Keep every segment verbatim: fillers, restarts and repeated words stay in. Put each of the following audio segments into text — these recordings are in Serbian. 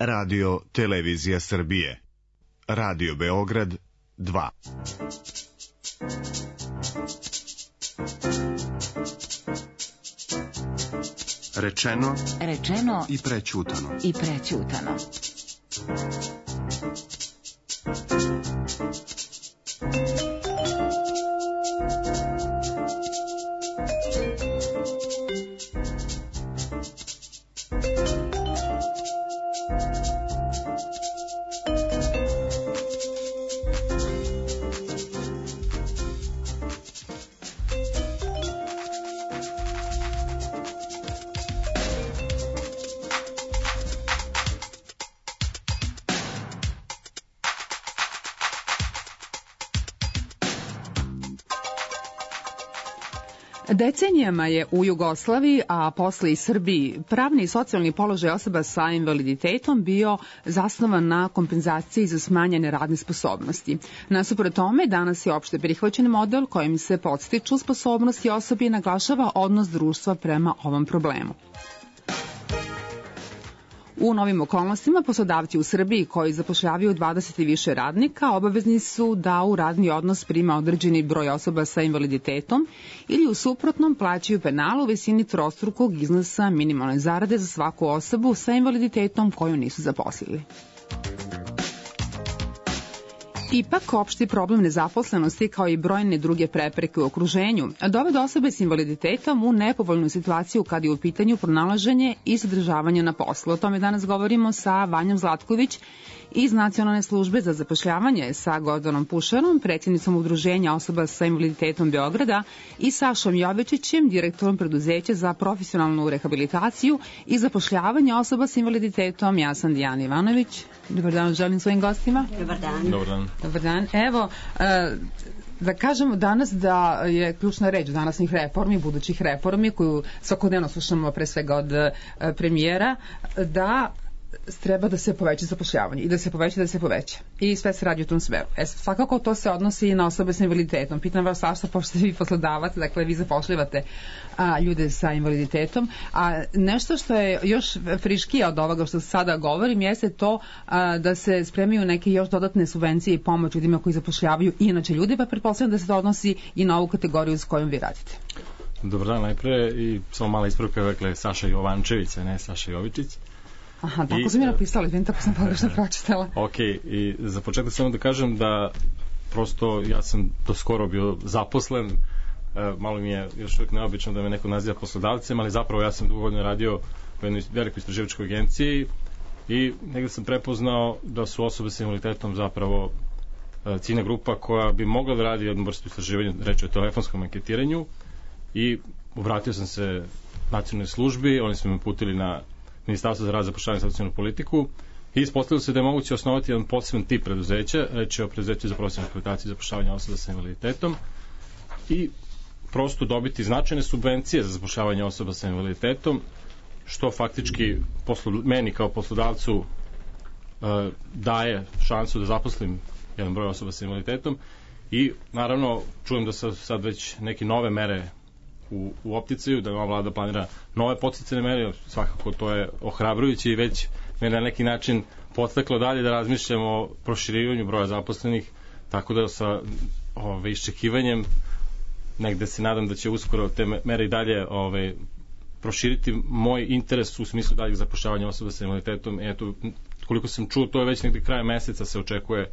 Radio Televizija Srbije. Radio Beograd dva. Rečeno, rečeno i prećutano. I prećutano. Decenijama je u Jugoslaviji, a posle i Srbiji, pravni i socijalni položaj osoba sa invaliditetom bio zasnovan na kompenzaciji za smanjene radne sposobnosti. Nasuprot tome, danas je opšte prihvaćen model kojim se podstiču sposobnosti osobi i naglašava odnos društva prema ovom problemu. U novim okolnostima poslodavci u Srbiji koji zapošljavaju dvadeset i više radnika obavezni su da u radni odnos prima određeni broj osoba sa invaliditetom ili u suprotnom plaćaju penal u visini trostrukog iznosa minimalne zarade za svaku osobu sa invaliditetom koju nisu zaposlili. Ipak, opšti problem nezaposlenosti kao i brojne druge prepreke u okruženju dovode osobe s invaliditetom u nepovoljnu situaciju kad je u pitanju pronalaženje i zadržavanje na poslu. O tome danas govorimo sa Vanjom Zlatković iz Nacionalne službe za zapošljavanje, sa Gordanom Pušarom, predsjednicom Udruženja osoba sa invaliditetom Beograda i Sašom Jovičićem, direktorom preduzeća za profesionalnu rehabilitaciju i zapošljavanje osoba sa invaliditetom. Ja sam Dijana Ivanović. Dobar dan, želim svojim gostima. Dobar dan. Dobar dan. Dobar dan. Evo, da kažemo danas da je ključna reč današnjih reformi, budućih reformi, koju svakodnevno slušamo pre svega od premijera, da treba da se poveća zapošljavanje i da se poveća, da se poveća. I sve se radi u tom smeru. E, svakako to se odnosi i na osobe sa invaliditetom. Pitam vas, Saša, pošto ste vi poslodavac, dakle vi zapošljavate a, ljude sa invaliditetom, a nešto što je još friškije od ovoga što sada govorim jeste to a, da se spremaju neke još dodatne subvencije i pomoć ljudima koji zapošljavaju inače ljudi, pa pretpostavljam da se to odnosi i na ovu kategoriju s kojom vi radite. Dobar dan, najpre i samo mala ispravka, dakle Saša Jovančević, a ne Saša Jovičić. Aha, tako I, sam mi napisala, vidim, tako sam pogrešno pročitala. Ok, i za početak samo da kažem da prosto ja sam do skoro bio zaposlen, e, malo mi je još uvijek neobično da me neko naziva poslodavcem, ali zapravo ja sam dugo godina radio u jednoj velikoj istraživačkoj agenciji i negde sam prepoznao da su osobe sa invaliditetom zapravo e, ciljna grupa koja bi mogla da radi jednu vrstu istraživanja, reći o telefonskom anketiranju, i obratio sam se nacionalnoj službi, oni su me uputili na Ministarstvo za rad, zapošljavanje i socijalnu politiku i ispostavilo se da je moguće osnovati jedan poseban tip preduzeća, reći o preduzeću za profesionalnu rehabilitaciju i zapošljavanje osoba sa invaliditetom, i prosto dobiti značajne subvencije za zapošljavanje osoba sa invaliditetom, što faktički poslu, meni kao poslodavcu uh, daje šansu da zaposlim jedan broj osoba sa invaliditetom. I naravno čujem da su sad već neke nove mere u, u opticaju, da ova vlada planira nove podsticajne mere, svakako to je ohrabrujuće i već me na neki način podstaklo dalje da razmišljamo o proširivanju broja zaposlenih, tako da sa ove, iščekivanjem negde se nadam da će uskoro te mere i dalje ove, proširiti moj interes u smislu daljeg zapošljavanja osoba sa invaliditetom. Eto, koliko sam čuo, to je već negde krajem meseca se očekuje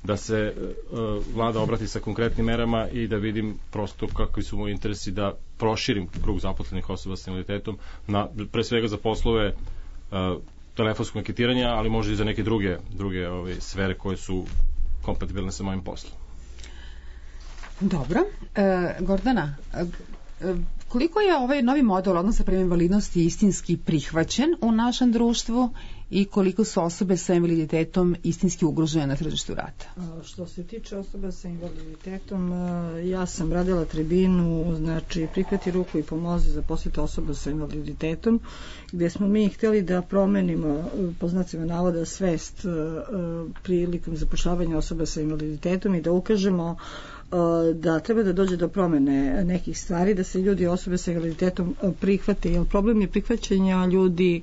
da se uh, vlada obrati sa konkretnim merama i da vidim prosto kakvi su moji interesi da proširim krug zaposlenih osoba sa invaliditetom, na, pre svega za poslove uh, telefonskog anketiranja, ali možda i za neke druge, druge ove, sfere koje su kompatibilne sa mojim poslom. Dobro. E, Gordana, e, koliko je ovaj novi model odnosa prema invalidnosti istinski prihvaćen u našem društvu i koliko su osobe sa invaliditetom istinski ugrožene na tržištu rada? Što se tiče osoba sa invaliditetom, ja sam radila tribinu, znači prihvati ruku i pomozi za posjeti osoba sa invaliditetom, gdje smo mi htjeli da promenimo, po znacima navoda, svest prilikom zapošljavanja osoba sa invaliditetom i da ukažemo da treba da dođe do promene nekih stvari, da se ljudi osobe sa invaliditetom prihvate, jer problem je prihvaćanja ljudi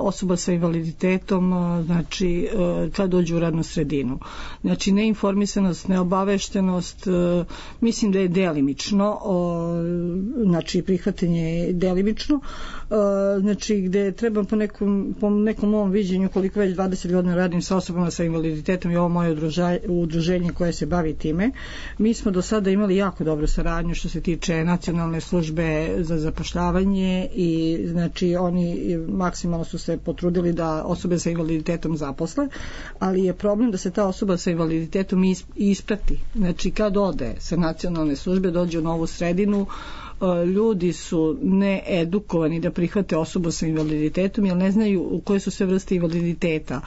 osoba sa invaliditetom, znači kad dođu u radnu sredinu. Znači neinformisanost, neobaveštenost, mislim da je delimično, znači prihvatanje je delimično, znači gde treba po nekom, po nekom novom viđenju, koliko već dvadeset godina radim sa osobama sa invaliditetom i ovo moje udruženje koje se bavi time. Mi smo do sada imali jako dobru saradnju što se tiče nacionalne službe za zapošljavanje i znači oni maksimalno su se potrudili da osobe sa invaliditetom zaposle, ali je problem da se ta osoba sa invaliditetom isprati. Znači kad ode sa nacionalne službe, dođe u novu sredinu, ljudi su needukovani da prihvate osobu sa invaliditetom jer ne znaju koje su sve vrste invaliditeta.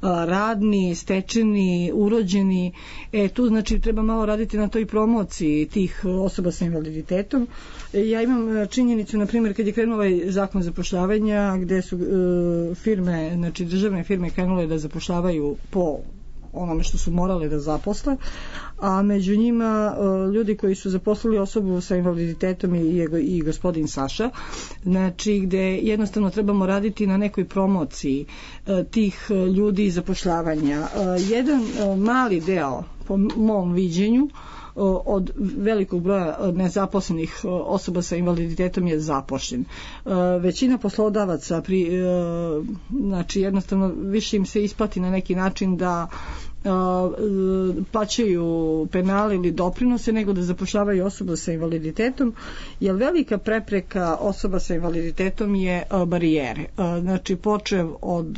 Radni, stečeni, urođeni. E, tu znači treba malo raditi na toj promociji tih osoba sa invaliditetom. Ja imam činjenicu, na primjer, kad je krenuo ovaj zakon zapošljavanja gde su uh, firme, znači državne firme krenule da zapošljavaju po onome što su morali da zaposle, a među njima ljudi koji su zaposlili osobu sa invaliditetom i, i gospodin Saša, znači gde jednostavno trebamo raditi na nekoj promociji tih ljudi i zapošljavanja. Jedan mali deo, po mom viđenju, od velikog broja nezaposlenih osoba sa invaliditetom je zapošljen. Većina poslodavaca pri, znači jednostavno više im se isplati na neki način da plaćaju penale ili doprinose nego da zapošljavaju osobu sa invaliditetom, jer velika prepreka osoba sa invaliditetom je barijere. Znači počev od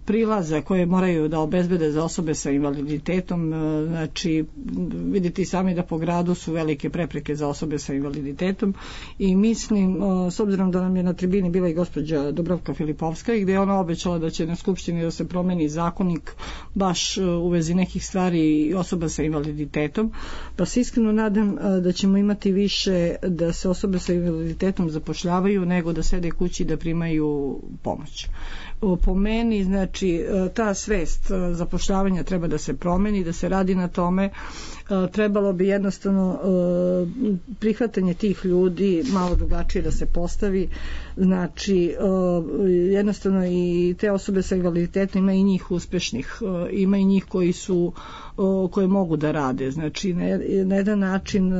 prilaza koje moraju da obezbede za osobe sa invaliditetom, znači vidite sami da po gradu su velike prepreke za osobe sa invaliditetom i mislim, s obzirom da nam je na tribini bila i gospođa Dubravka Filipovska i gde je ona obećala da će na Skupštini da se promeni zakonik baš u vezi nekih stvari osoba sa invaliditetom, pa se iskreno nadam da ćemo imati više da se osobe sa invaliditetom zapošljavaju nego da sede kući da primaju pomoć. Po meni, znači, ta svest zapošljavanja treba da se promeni, da se radi na tome. Trebalo bi jednostavno prihvatanje tih ljudi malo drugačije da se postavi. Znači, jednostavno i te osobe sa invaliditetom, ima i njih uspešnih, ima i njih koji su koje mogu da rade. Znači, na jedan način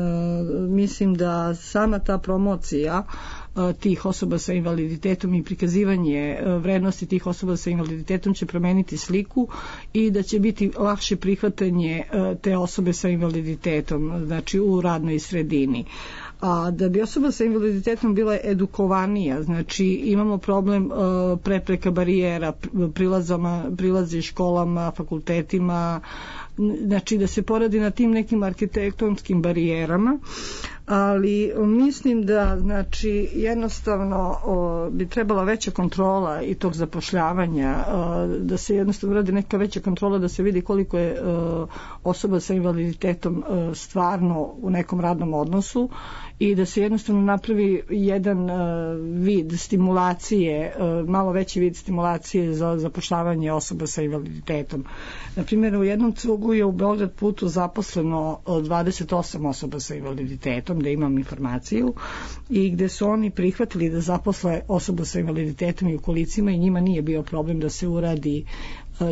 mislim da sama ta promocija tih osoba sa invaliditetom i prikazivanje vrednosti tih osoba sa invaliditetom će promeniti sliku i da će biti lakše prihvatanje te osobe sa invaliditetom, znači u radnoj sredini. A da bi osoba sa invaliditetom bila edukovanija, znači imamo problem uh, prepreka barijera, prilazama, prilazi školama, fakultetima, znači da se poradi na tim nekim arhitektonskim barijerama, ali mislim da znači jednostavno o, bi trebala veća kontrola i tog zapošljavanja, o, da se jednostavno radi neka veća kontrola da se vidi koliko je o, osoba sa invaliditetom o, stvarno u nekom radnom odnosu i da se jednostavno napravi jedan o, vid stimulacije, o, malo veći vid stimulacije za zapošljavanje osoba sa invaliditetom. Na primjer, u jednom cugu je u Beograd putu zaposleno dvadeset osam osoba sa invaliditetom, da imam informaciju, i gde su oni prihvatili da zaposle osobu sa invaliditetom i u kolicima i njima nije bio problem da se uradi,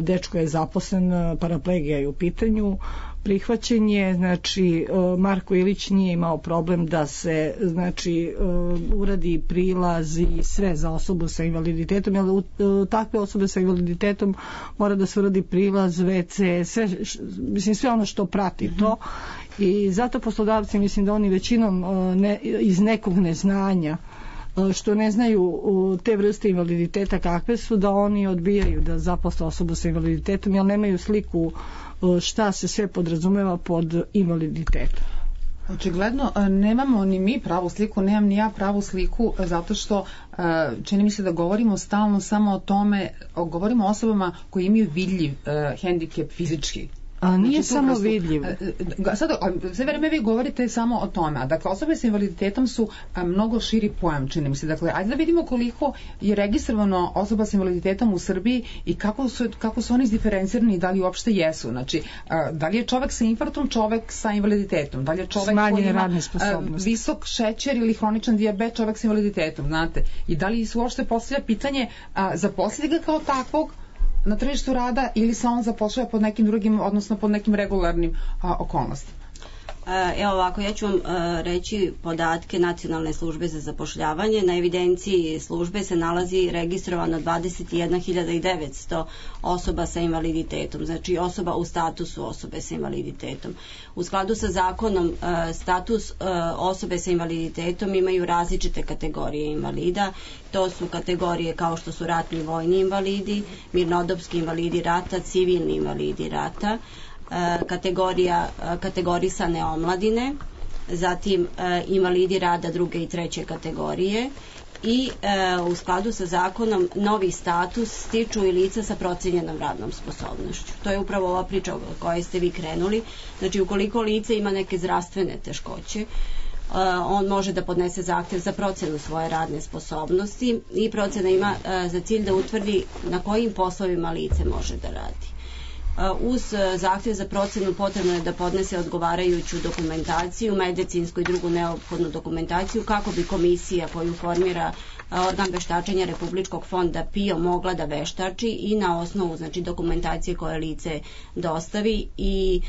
dečko je zaposlen, paraplegija je u pitanju, prihvaćen je, znači Marko Ilić nije imao problem da se znači uradi prilaz i sve za osobu sa invaliditetom, jer u takve osobe sa invaliditetom mora da se uradi prilaz, ve ce, sve, mislim sve ono što prati to, i zato poslodavci mislim da oni većinom ne, iz nekog neznanja, što ne znaju te vrste invaliditeta kakve su, da oni odbijaju da zaposle osobu sa invaliditetom jer nemaju sliku šta se sve podrazumeva pod invaliditetom. Očigledno nemamo ni mi pravu sliku, nemam ni ja pravu sliku, zato što čini mi se da govorimo stalno samo o tome, govorimo o osobama koji imaju vidljiv hendikep fizički, A nije znači, samo vidljivo. Sad, sve vreme vi govorite samo o tome. Dakle, osobe sa invaliditetom su a, mnogo širi pojam, čini mi se. Dakle, ajde da vidimo koliko je registrovano osoba sa invaliditetom u Srbiji i kako su, kako su oni izdiferencirani i da li uopšte jesu. Znači, a, da li je čovek sa infarktom čovek sa invaliditetom? Da li je čovek koji ima a, visok šećer ili hroničan dijabet čovek sa invaliditetom, znate? I da li se uopšte postavlja pitanje a, zaposliti ga kao takvog na tržištu rada ili se on zapošljava pod nekim drugim, odnosno pod nekim regularnim a, okolnostima? Evo ovako, ja ću vam reći podatke Nacionalne službe za zapošljavanje. Na evidenciji službe se nalazi registrovano dvadeset jedna hiljada devetsto osoba sa invaliditetom, znači osoba u statusu osobe sa invaliditetom. U skladu sa zakonom status osobe sa invaliditetom imaju različite kategorije invalida. To su kategorije kao što su ratni vojni invalidi, mirnodopski invalidi rata, civilni invalidi rata, kategorija kategorisane omladine, zatim invalidi rada druge i treće kategorije i u skladu sa zakonom novi status stiču i lica sa procenjenom radnom sposobnošću. To je upravo ova priča o kojoj ste vi krenuli. Znači, ukoliko lice ima neke zdravstvene teškoće, on može da podnese zahtev za procenu svoje radne sposobnosti i procena ima za cilj da utvrdi na kojim poslovima lice može da radi. Uz zahtjev za procenu potrebno je da podnese odgovarajuću dokumentaciju, medicinsku i drugu neophodnu dokumentaciju kako bi komisija koju formira organ veštačenja Republičkog fonda P I O mogla da veštači i na osnovu znači, dokumentacije koje lice dostavi i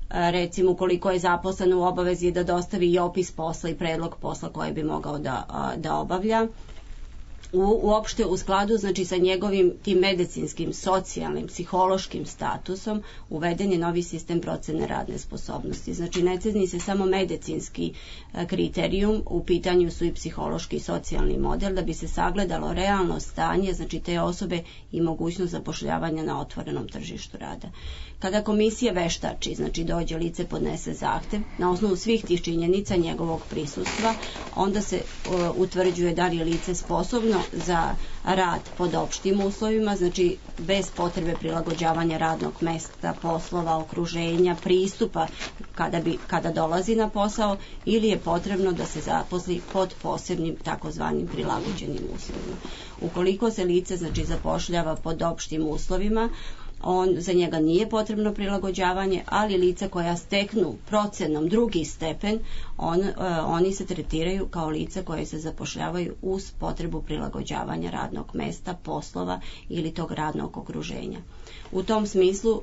recimo ukoliko je zaposlen u obavezi da dostavi i opis posla i predlog posla koje bi mogao da, da obavlja. U, uopšte u skladu znači sa njegovim tim medicinskim, socijalnim, psihološkim statusom uveden je novi sistem procene radne sposobnosti. Znači ne ceni se samo medicinski e, kriterijum, u pitanju su i psihološki i socijalni model da bi se sagledalo realno stanje znači te osobe i mogućnost zapošljavanja na otvorenom tržištu rada. Kada komisija veštači, znači dođe lice, podnese zahtev, na osnovu svih tih činjenica njegovog prisustva, onda se uh, utvrđuje da li je lice sposobno za rad pod opštim uslovima, znači bez potrebe prilagođavanja radnog mesta, poslova, okruženja, pristupa kada, bi, kada dolazi na posao ili je potrebno da se zaposli pod posebnim takozvanim prilagođenim uslovima. Ukoliko se lice znači zapošljava pod opštim uslovima, on, za njega nije potrebno prilagođavanje, ali lica koja steknu procenom drugi stepen, on, uh, oni se tretiraju kao lica koje se zapošljavaju uz potrebu prilagođavanja radnog mesta, poslova ili tog radnog okruženja. U tom smislu uh,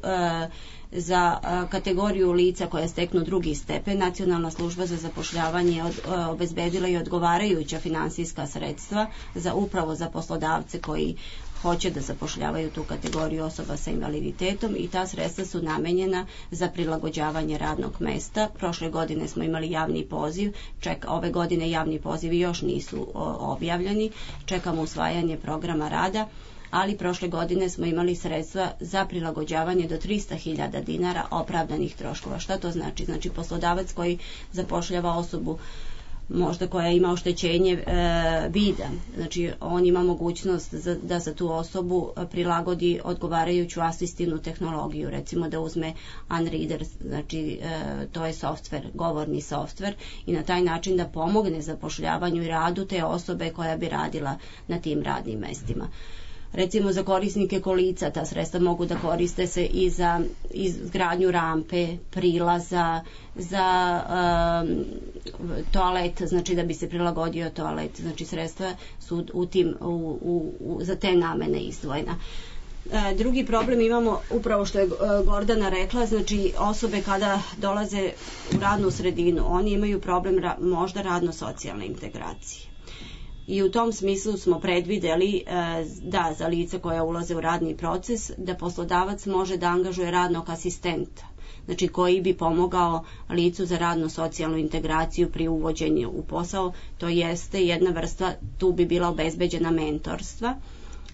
za uh, kategoriju lica koja steknu drugi stepen, Nacionalna služba za zapošljavanje od, uh, obezbedila i odgovarajuća finansijska sredstva za upravo za poslodavce koji hoće da zapošljavaju tu kategoriju osoba sa invaliditetom i ta sredstva su namenjena za prilagođavanje radnog mesta. Prošle godine smo imali javni poziv, ček, ove godine javni pozivi još nisu o, objavljeni, čekamo usvajanje programa rada, ali prošle godine smo imali sredstva za prilagođavanje do trista hiljada dinara opravdanih troškova. Šta to znači? Znači poslodavac koji zapošljava osobu možda koja ima oštećenje e, vida, znači on ima mogućnost za, da za tu osobu prilagodi odgovarajuću asistivnu tehnologiju, recimo da uzme Unreader, znači e, to je softver, govorni softver i na taj način da pomogne zapošljavanju i radu te osobe koja bi radila na tim radnim mestima. Recimo za korisnike kolica ta sredstva mogu da koriste se i za izgradnju rampe, prilaza, za um, toalet, znači da bi se prilagodio toalet, znači sredstva su u tim, u, u, u, za te namene izdvojena. E, drugi problem imamo upravo što je Gordana rekla, znači osobe kada dolaze u radnu sredinu, oni imaju problem ra, možda radno-socijalne integracije. I u tom smislu smo predvideli da za lice koja ulaze u radni proces da poslodavac može da angažuje radnog asistenta, znači koji bi pomogao licu za radno-socijalnu integraciju pri uvođenju u posao, to jeste jedna vrsta, tu bi bila obezbeđena mentorstva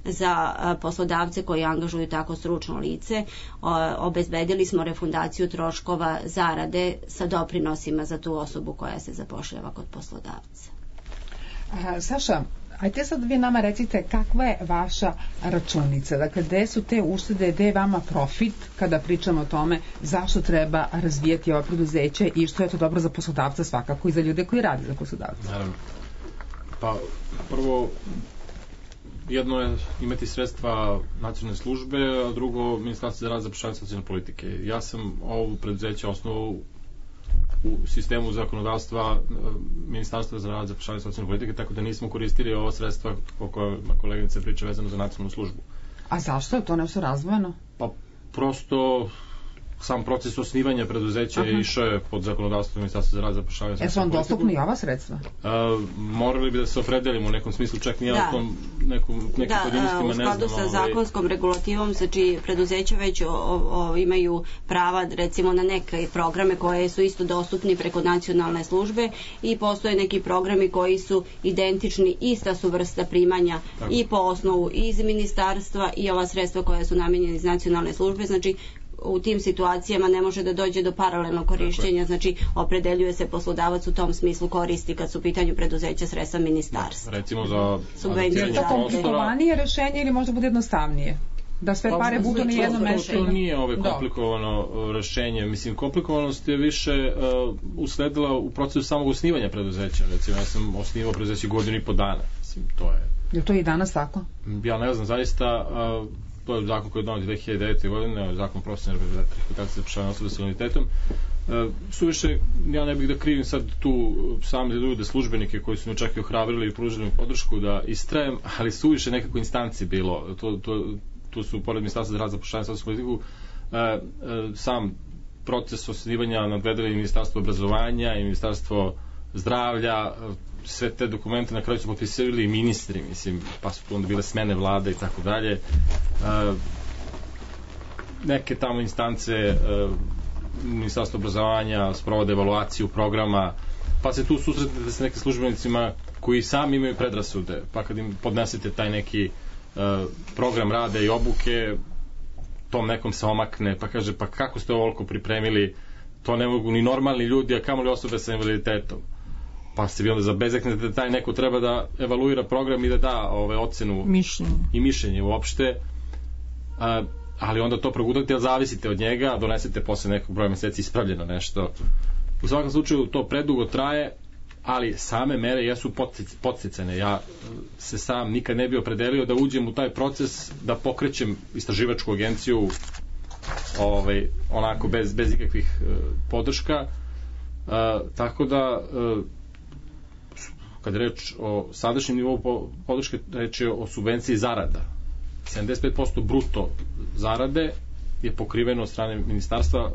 za poslodavce koji angažuju tako stručno lice. Obezbedili smo refundaciju troškova zarade sa doprinosima za tu osobu koja se zapošljava kod poslodavca. Saša, Ajde sad vi nama recite kakva je vaša računica, dakle gde su te uštede, gde je vama profit kada pričamo o tome zašto treba razvijati ova preduzeća i što je to dobro za poslodavca svakako i za ljude koji rade za poslodavca. Naravno. Pa prvo, jedno je imati sredstva nacionalne službe, a drugo Ministarstvo za rad, zapošljavanje i socijalne politike. Ja sam ovo preduzeće osnovao u sistemu zakonodavstva Ministarstva za rad, zapošljavanje i socijalne politike, tako da nismo koristili ovo sredstva o kojima koleginica priča vezano za nacionalnu službu. A zašto je to nešto razvojeno? Pa prosto sam proces osnivanja preduzeća je išao je pod zakonodavstvom Ministarstva za rad, zapošljavanje i socijalne politike. E su vam dostupni i ova sredstva? A, morali bi da se opredelimo u nekom smislu, čak nije da. o tom nekom, nekim da, pojedinostima ne znam. Da, u skladu sa zakonskom regulativom, znači preduzeća već o, o, imaju prava recimo na neke programe koje su isto dostupni preko nacionalne službe i postoje neki programi koji su identični, ista su vrsta primanja tako. I po osnovu iz ministarstva i ova sredstva koja su namenjena iz nacionalne službe, znači u tim situacijama ne može da dođe do paralelnog korišćenja, znači opredeljuje se poslodavac u tom smislu koristi kad su u pitanju preduzeća sredstva ministarstva. Recimo za subvencije. Je to komplikovanije rešenje ili možda bude jednostavnije? Da sve pare budu na jednom mestu? To nije ove komplikovano rešenje. Mislim, komplikovanost je više uh, usledila u procesu samog osnivanja preduzeća. Recimo, ja sam osnivao preduzeće godinu i po dana. Mislim, to je... Je to i danas tako? Ja ne znam, zaista... Uh, to je zakon koji je donet dve hiljade devete. godine, zakon profesionalne rehabilitacije za zapošljavanje osoba sa invaliditetom. E, suviše, ja ne bih da krivim sad tu same ljude, službenike koji su me čak i ohrabrili i pružili podršku da istrajem, ali suviše nekako instanci bilo. To, to, tu su, pored Ministarstva za rad, zapošljavanje i socijalnu politiku, e, e, sam proces osnivanja nadvedali Ministarstvo obrazovanja i Ministarstvo zdravlja, sve te dokumente na kraju su potpisivali i ministri, mislim, pa su tu onda bile smene vlade i tako dalje. Neke tamo instance Ministarstvo obrazovanja sprovode evaluaciju programa, pa se tu susretnete sa nekim službenicima koji sami imaju predrasude, pa kad im podnesete taj neki program rada i obuke, tom nekom se omakne, pa kaže, pa kako ste ovoliko pripremili, to ne mogu ni normalni ljudi, a kamoli osobe sa invaliditetom. Pa se vi onda zabezeknete da taj neko treba da evaluira program i da da ove, ocenu mišljenje. I mišljenje uopšte, a, ali onda to progudate, ali zavisite od njega, donesete posle nekog broja meseci ispravljeno nešto. U svakom slučaju to predugo traje, ali same mere jesu podsticane. Ja se sam nikad ne bi opredelio da uđem u taj proces, da pokrećem istraživačku agenciju ovaj, onako bez, bez ikakvih uh, podrška. Uh, tako da uh, kad je reč o sadašnjem nivou podrške, reč je o subvenciji zarada. sedamdeset pet posto bruto zarade je pokriveno od strane ministarstva,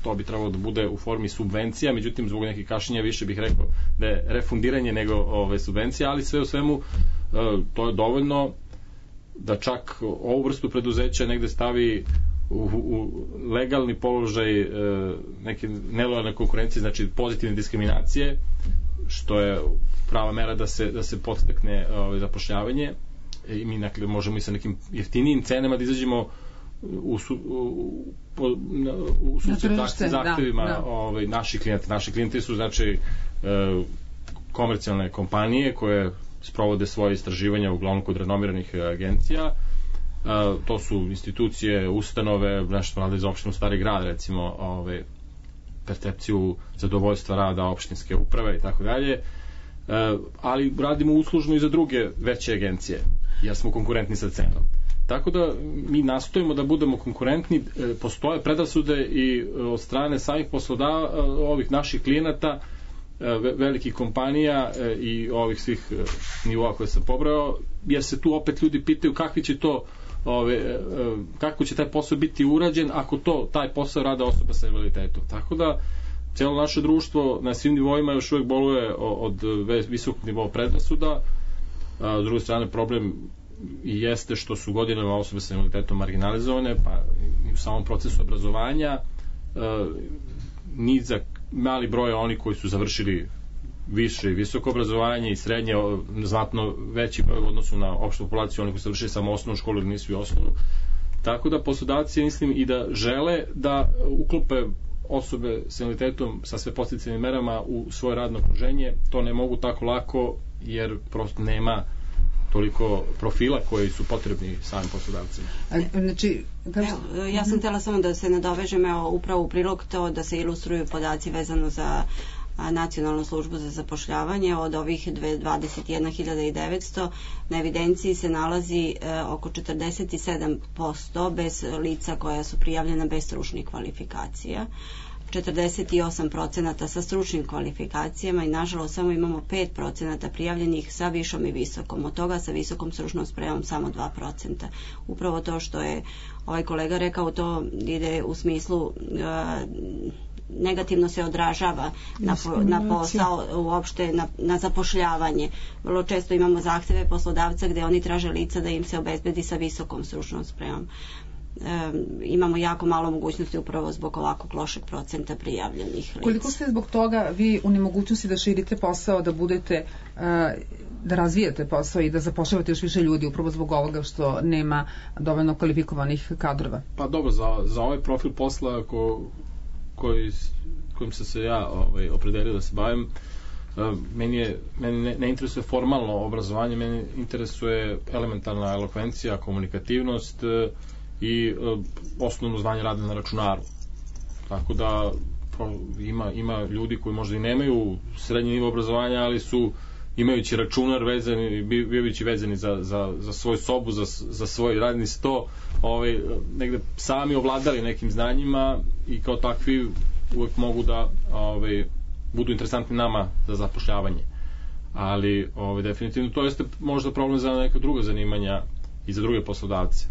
to bi trebalo da bude u formi subvencija, međutim zbog nekih kašnjenja više bih rekao da je refundiranje nego ove subvencije, ali sve u svemu to je dovoljno da čak ovu vrstu preduzeća negde stavi u, u legalni položaj neke nelojalne konkurencije, znači pozitivne diskriminacije, što je prava mera da se, da se podstakne ovaj, zapošljavanje i mi dakle, možemo i sa nekim jeftinijim cenama da izađemo u, su, u, u, u susret zahtevima da, da. Ovaj, naših klijenta. Naši klijenti su znači e, komercijalne kompanije koje sprovode svoje istraživanja uglavnom kod renomiranih agencija. E, to su institucije, ustanove, nešto rade za opštinu Stari Grad, recimo ovaj, percepciju zadovoljstva rada opštinske uprave i tako dalje, ali radimo uslužno i za druge veće agencije, jer smo konkurentni sa cenom. Tako da mi nastojimo da budemo konkurentni, postoje predrasude i od strane samih poslodava, ovih naših klijenata, velikih kompanija i ovih svih nivoa koje sam pobrao, jer se tu opet ljudi pitaju kakvi će to Ove, kako će taj posao biti urađen ako to, taj posao rada osoba sa invaliditetom. Tako da cijelo naše društvo na svim nivoima još uvijek boluje od visokog nivoa predrasuda. A, s druge strane problem i jeste što su godinama osobe sa invaliditetom marginalizovane, pa i u samom procesu obrazovanja a, ni za mali broj oni koji su završili više i visoko obrazovanje i srednje, znatno veći broj u odnosu na opštu populaciju, oni koji su završili samo osnovnu školu ili nisu i osnovnu. Tako da poslodavci, mislim, i da žele da uklope osobe s invaliditetom sa sve podsticajnim merama u svoje radno okruženje, to ne mogu tako lako jer prosto nema toliko profila koji su potrebni samim poslodavcima. Znači, kažu... Evo, ja sam htjela samo da se nadovežem evo, upravo u prilog to da se ilustruju podaci vezano za Nacionalnu službu za zapošljavanje. Od ovih dvadeset jedna hiljada devetsto na evidenciji se nalazi e, oko četrdeset sedam posto bez lica koja su prijavljena bez stručnih kvalifikacija, četrdeset osam procenata sa stručnim kvalifikacijama i nažalost samo imamo pet procenata prijavljenih sa višom i visokom. Od toga sa visokom stručnom spremom samo dva procenta. Upravo to što je ovaj kolega rekao, to ide u smislu e, negativno se odražava na, na posao, uopšte na, na zapošljavanje. Vrlo često imamo zahteve poslodavca gde oni traže lica da im se obezbedi sa visokom stručnom spremom. E, imamo jako malo mogućnosti upravo zbog ovakvog lošeg procenta prijavljenih lica. Koliko ste zbog toga vi u nemogućnosti da širite posao, da budete uh, da razvijate posao i da zapošljavate još više ljudi upravo zbog ovoga što nema dovoljno kvalifikovanih kadrova? Pa dobro, za, za ovaj profil posla ko, koji, kojim sam se ja ovaj, opredelio da se bavim, meni, je, meni ne, ne interesuje formalno obrazovanje, meni interesuje elementarna elokvencija, komunikativnost i osnovno znanje rada na računaru. Tako da ima, ima ljudi koji možda i nemaju srednji nivo obrazovanja, ali su imajući računar vezani, bivajući vezani za, za, za svoju sobu, za, za svoj radni sto, ovaj, negde sami ovladali nekim znanjima i kao takvi uvek mogu da ovaj, budu interesantni nama za zapošljavanje. Ali ovaj, definitivno to jeste možda problem za neka druga zanimanja i za druge poslodavce.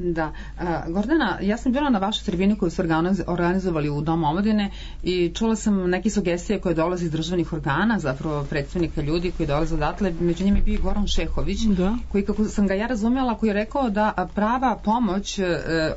Da. Uh, Gordana, ja sam bila na vašoj tribini koju su organizovali u Domu omladine i čula sam neke sugestije koje dolaze iz državnih organa, zapravo predstavnika ljudi koji dolaze odatle, među njima je bio Goran Šehović, da. Koji, kako sam ga ja razumjela, koji je rekao da prava pomoć uh,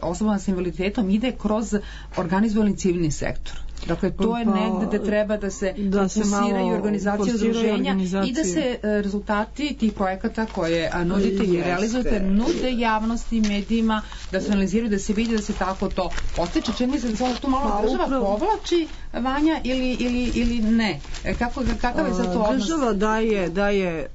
osobama sa invaliditetom ide kroz organizovani civilni sektor. Dakle, to je negde gde treba da se da fokusiraju organizacije udruženja i da se rezultati tih projekata koje nudite i realizujete nude javnosti, medijima, da se analiziraju, da se vidi da se tako to postiče. Čini mi se da se tu malo pa, država upravo povlači, Vanja, ili, ili, ili ne? Kako, kakav je za to odnos? Država daje, daje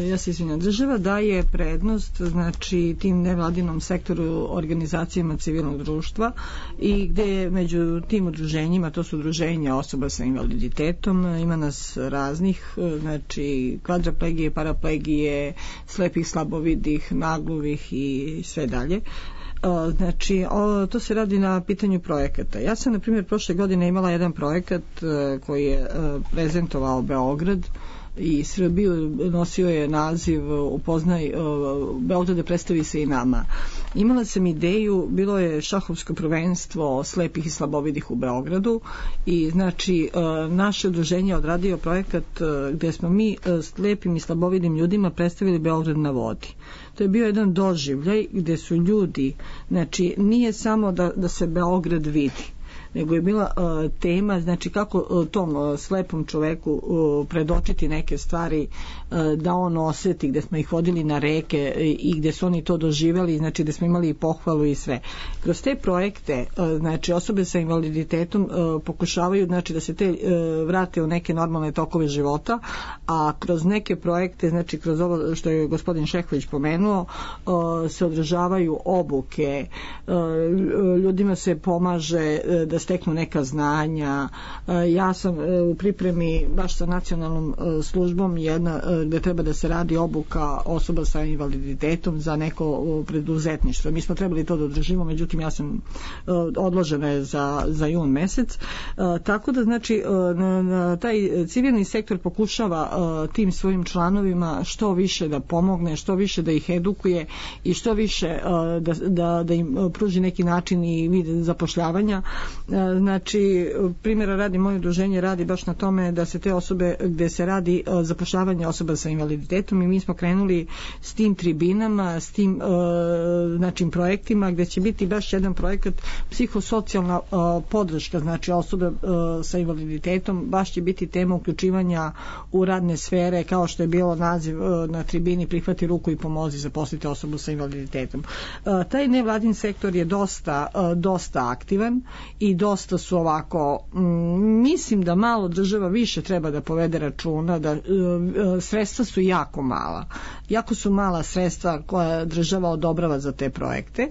ja se izvinjam, država daje prednost znači tim nevladinom sektoru, organizacijama civilnog društva i gde među tim udruženjima, to su udruženja osoba sa invaliditetom, ima nas raznih, znači kvadriplegije, paraplegije, slepih, slabovidih, nagluvih i sve dalje. Znači, o, to se radi na pitanju projekata. Ja sam, na primjer, prošle godine imala jedan projekat koji je prezentovao Beograd i Srbiju, nosio je naziv Upoznaj Beograde, predstavi se i nama. Imala sam ideju, bilo je šahovsko prvenstvo slepih i slabovidih u Beogradu i znači naše udruženje odradio projekat gde smo mi slepim i slabovidim ljudima predstavili Beograd na vodi. To je bio jedan doživljaj gde su ljudi, znači nije samo da, da se Beograd vidi, nego je bila uh, tema, znači kako uh, tom uh, slepom čoveku uh, predočiti neke stvari uh, da on osjeti, gde smo ih vodili na reke uh, i gde su oni to doživjeli, znači gde smo imali i pohvalu i sve. Kroz te projekte, uh, znači osobe sa invaliditetom uh, pokušavaju znači da se te uh, vrate u neke normalne tokove života, a kroz neke projekte, znači kroz ovo što je gospodin Šehović pomenuo, uh, se održavaju obuke, uh, ljudima se pomaže uh, da steknu neka znanja. Ja sam u pripremi baš sa nacionalnom službom jedna gde treba da se radi obuka osoba sa invaliditetom za neko preduzetništvo. Mi smo trebali to da održimo, međutim ja sam odložena je za, za jun mesec. Tako da znači taj civilni sektor pokušava tim svojim članovima što više da pomogne, što više da ih edukuje i što više da, da, da im pruži neki način i vid zapošljavanja. Znači, primjera radi, moje udruženje radi baš na tome da se te osobe, gde se radi zapošljavanje osoba sa invaliditetom i mi smo krenuli s tim tribinama, s tim znači, projektima gde će biti baš jedan projekat psihosocijalna podrška, znači osobe sa invaliditetom, baš će biti tema uključivanja u radne sfere, kao što je bilo naziv na tribini Prihvati ruku i pomozi zaposliti osobu sa invaliditetom. Taj nevladin sektor je dosta, dosta aktivan i i dosta su ovako, mislim da malo država više treba da povede računa, da sredstva su jako mala. Jako su mala sredstva koja država odobrava za te projekte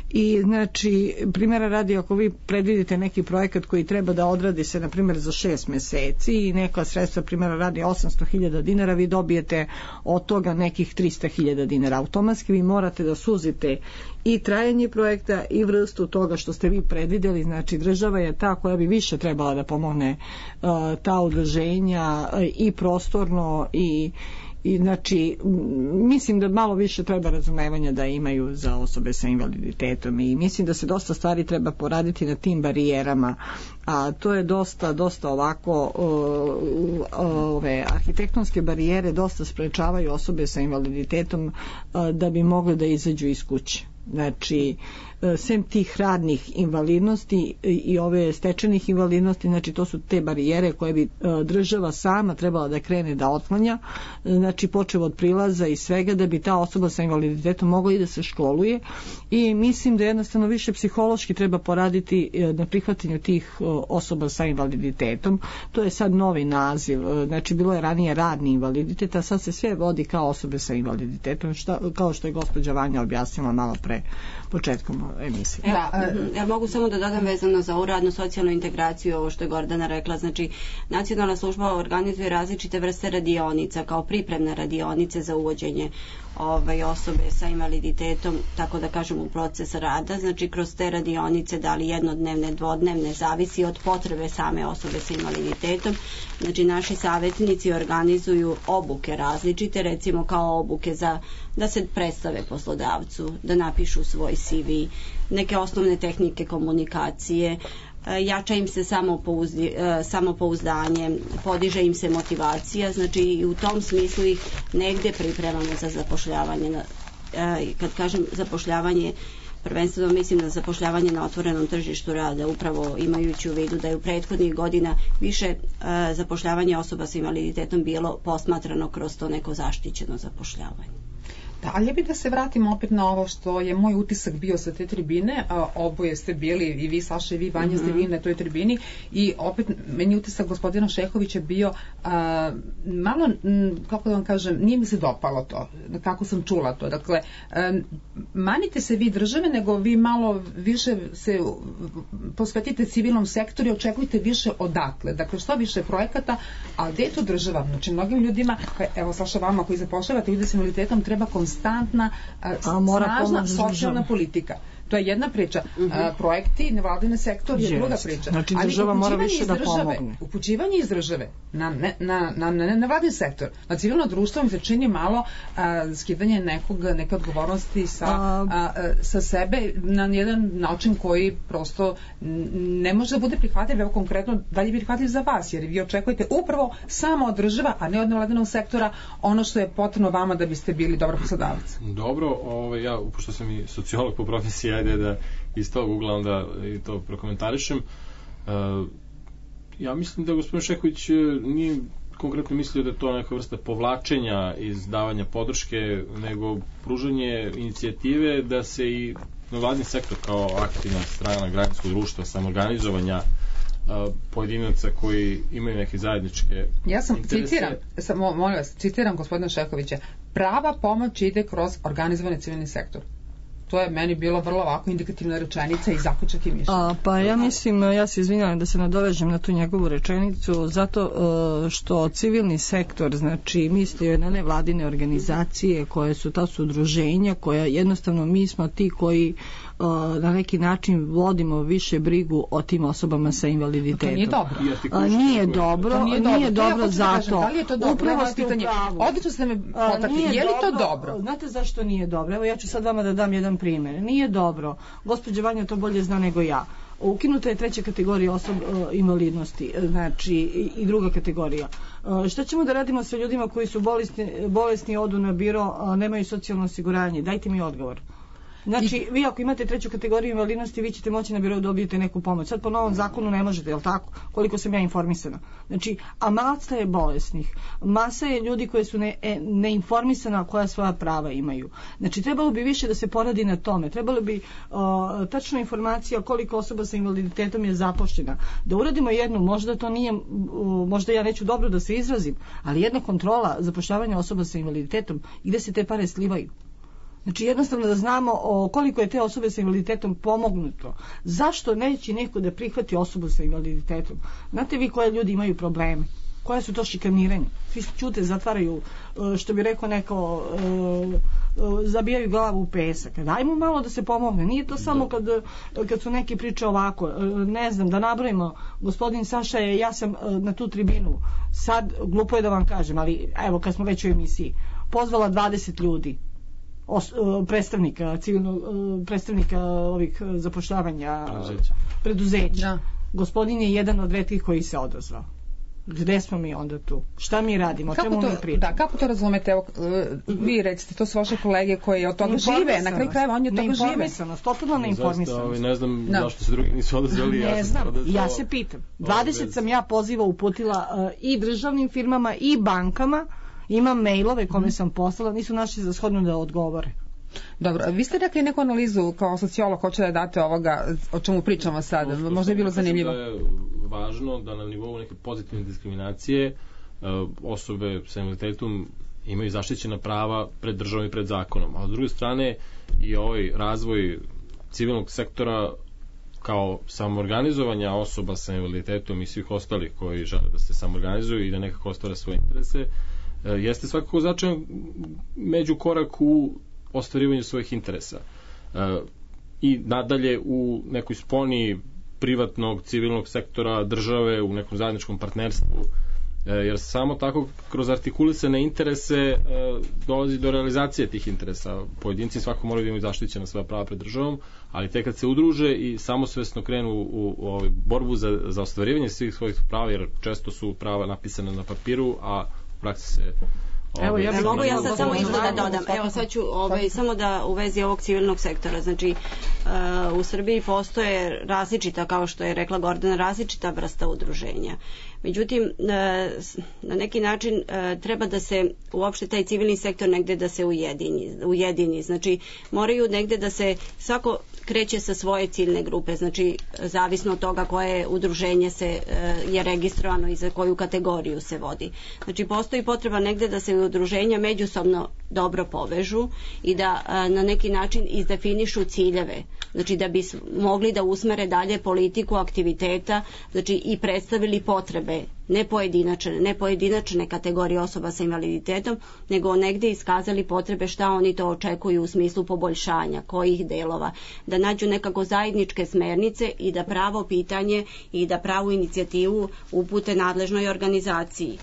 i znači primjera radi, ako vi predvidite neki projekat koji treba da odradi se na primjer za šest meseci i neka sredstva primjera radi osamsto hiljada dinara, vi dobijete od toga nekih trista hiljada dinara. Automatski vi morate da suzite i trajanje projekta i vrstu toga što ste vi predvidjeli, znači država je ta koja bi više trebala da pomogne uh, ta udruženja uh, i prostorno i I znači, mislim da malo više treba razumevanja da imaju za osobe sa invaliditetom i mislim da se dosta stvari treba poraditi na tim barijerama, a to je dosta, dosta ovako ove arhitektonske barijere dosta sprečavaju osobe sa invaliditetom da bi mogle da izađu iz kuće. Znači, sem tih radnih invalidnosti i ove stečenih invalidnosti, znači to su te barijere koje bi država sama trebala da krene da otklanja, znači počev od prilaza i svega da bi ta osoba sa invaliditetom mogla i da se školuje i mislim da jednostavno više psihološki treba poraditi na prihvatanju tih osoba sa invaliditetom. To je sad novi naziv, znači bilo je ranije radni invaliditet, a sad se sve vodi kao osobe sa invaliditetom, šta, kao što je gospođa Vanja objasnila malo pre početkom emisije. Ja, ja mogu samo da dodam vezano za ovu radnu socijalnu integraciju, ovo što je Gordana rekla, znači nacionalna služba organizuje različite vrste radionica kao pripremne radionice za uvođenje ovaj, osobe sa invaliditetom, tako da kažem, u proces rada, znači kroz te radionice, da li jednodnevne, dvodnevne, zavisi od potrebe same osobe sa invaliditetom. Znači naši savjetnici organizuju obuke različite, recimo kao obuke za da se predstave poslodavcu, da napišu svoj C V, neke osnovne tehnike komunikacije, jača im se samopouzdi, samopouzdanje, podiže im se motivacija, znači i u tom smislu ih negde pripremamo za zapošljavanje. Kad kažem zapošljavanje, prvenstveno mislim na zapošljavanje na otvorenom tržištu rada, upravo imajući u vidu da je u prethodnih godina više zapošljavanje osoba sa invaliditetom bilo posmatrano kroz to neko zaštićeno zapošljavanje. Da, ali ja bih da se vratim opet na ovo što je moj utisak bio sa te tribine, a, oboje ste bili, i vi Saša i vi Vanja ste bili na toj tribini i opet meni utisak gospodina Šehovića bio a, malo, m, kako da vam kažem, nije mi se dopalo to, kako sam čula to, dakle a, manite se vi države, nego vi malo više se posvetite civilnom sektoru i očekujte više odatle, dakle što više projekata, a gde je to država? Znači mnogim ljudima, evo Saša vama koji zapošljavate ljude s invaliditetom, treba konstantna, snažna socijalna politika. To je jedna priča. Uh, projekti, nevladine sektor je druga priča. Znači država mora više da pomogne. Upućivanje iz države na, ne, na, na, na nevladin sektor, na civilno društvo mi se čini malo uh, skidanje nekog, neke odgovornosti sa, uh, sa sebe na jedan način koji prosto ne može da bude prihvatljiv, evo konkretno da li je prihvatljiv za vas, jer vi očekujete upravo samo od država, a ne od nevladinog sektora ono što je potrebno vama da biste bili dobar poslodavac. Dobro, ovaj, ja, pošto sam i sociolog po profesiji, ajde da iz tog ugla onda i to prokomentarišem. Uh, ja mislim da gospodin Šehović nije konkretno mislio da je to neka vrsta povlačenja iz davanja podrške, nego pružanje inicijative da se i nevladin sektor kao aktivna strana građanskog društva, samoorganizovanja uh, pojedinaca koji imaju neke zajedničke ja sam interese. Citiram, sam, molim vas, citiram gospodina Šehovića, prava pomoć ide kroz organizovani civilni sektor. To je meni bilo vrlo ovako indikativna rečenica i zaključak i mišljenje. Pa ja mislim, ja se izvinjavam da se nadovežem na tu njegovu rečenicu, zato što civilni sektor, znači mislio na nevladine organizacije koje su, ta su udruženja koja jednostavno mi smo ti koji na neki način vodimo više brigu o tim osobama sa invaliditetom. To nije dobro. A, nije dobro, nije dobro, nije dobro zato. Da li je to dobro? Upravo ste u pravu. Odlično ste me potakli. Je li to dobro? Znate zašto nije dobro? Evo ja ću sad vama da dam jedan primjer. Nije dobro. Gospođa Vanja to bolje zna nego ja. Ukinuta je treća kategorija osob invalidnosti, znači i druga kategorija. Šta ćemo da radimo sa ljudima koji su bolesni, bolesni odu na biro, a nemaju socijalno osiguranje? Dajte mi odgovor. Znači, vi ako imate treću kategoriju invalidnosti, vi ćete moći na birou dobijete neku pomoć. Sad po novom zakonu ne možete, je li tako? Koliko sam ja informisana. Znači, a masa je bolesnih. Masa je ljudi koji su ne, e, neinformisana koja svoja prava imaju. Znači, trebalo bi više da se poradi na tome. Trebalo bi o, tačna informacija koliko osoba sa invaliditetom je zapošljena. Da uradimo jednu, možda to nije, o, možda ja neću dobro da se izrazim, ali jedna kontrola zapošljavanja osoba sa invaliditetom i gde se te pare slivaju. Znači jednostavno da znamo o koliko je te osobe sa invaliditetom pomognuto. Zašto neće neko da prihvati osobu sa invaliditetom? Znate vi koje ljudi imaju probleme? Koja su to šikaniranja? Svi ćute, zatvaraju, što bi rekao neko, zabijaju glavu u pesak. Dajmo malo da se pomogne. Nije to samo kad, kad su neki priče ovako. Ne znam, da nabrojimo, gospodin Saša je, ja sam na tu tribinu, sad, glupo je da vam kažem, ali evo kad smo već u emisiji, pozvala dvadeset ljudi. Os, predstavnika civilnog predstavnika ovih zapošljavanja preduzeća, preduzeća. Da. Gospodin je jedan od retkih koji se odazvao. Gde smo mi onda tu? Šta mi radimo? O čemu mi pričamo? Da, kako to razumete? Evo, vi recite, to su vaše kolege koji od toga žive, na kraju krajeva oni od toga žive. Neinformisanost, totalno neinformisanost. Ne znam no. zašto se drugi nisu odazvali. Ne ja znam, odazvao. Ja se pitam. dvadeset sam ja poziva uputila uh, i državnim firmama i bankama. Imam mailove kome sam poslala, nisu našli za shodno da odgovore. Dobro, vi ste rekli neku analizu kao sociolog, hoće da date ovoga o čemu pričamo sad, no, možda je bilo zanimljivo. Da je važno da na nivou neke pozitivne diskriminacije osobe sa invaliditetom imaju zaštićena prava pred državom i pred zakonom, a s druge strane i ovaj razvoj civilnog sektora kao samoorganizovanja osoba sa invaliditetom i svih ostalih koji žele da se samoorganizuju i da nekako ostvare svoje interese, jeste svakako značajan međukorak u ostvarivanju svojih interesa. I nadalje u nekoj sponi privatnog, civilnog sektora, države, u nekom zajedničkom partnerstvu, jer samo tako kroz artikulisane interese dolazi do realizacije tih interesa. Pojedinci svako moraju da imaju zaštićena svoja prava pred državom, ali tek kad se udruže i samosvesno krenu u, u, u borbu za, za ostvarivanje svih svojih prava, jer često su prava napisane na papiru, a u praksi se Evo, ja mogu ja sad samo isto da dodam. Evo sad ću ovaj, samo da u vezi ovog civilnog sektora. Znači, uh, u Srbiji postoje različita, kao što je rekla Gordana, različita vrsta udruženja. Međutim, uh, na neki način uh, treba da se uopšte taj civilni sektor negde da se ujedini. ujedini. Znači, moraju negde da se svako kreće sa svoje ciljne grupe, znači zavisno od toga koje udruženje se je registrovano i za koju kategoriju se vodi. Znači postoji potreba negde da se udruženja međusobno dobro povežu i da na neki način izdefinišu ciljeve, znači da bi mogli da usmere dalje politiku aktiviteta, znači i predstavili potrebe ne pojedinačne, ne pojedinačne kategorije osoba sa invaliditetom, nego negde iskazali potrebe šta oni to očekuju u smislu poboljšanja, kojih delova, da nađu nekako zajedničke smernice i da pravo pitanje i da pravu inicijativu upute nadležnoj organizaciji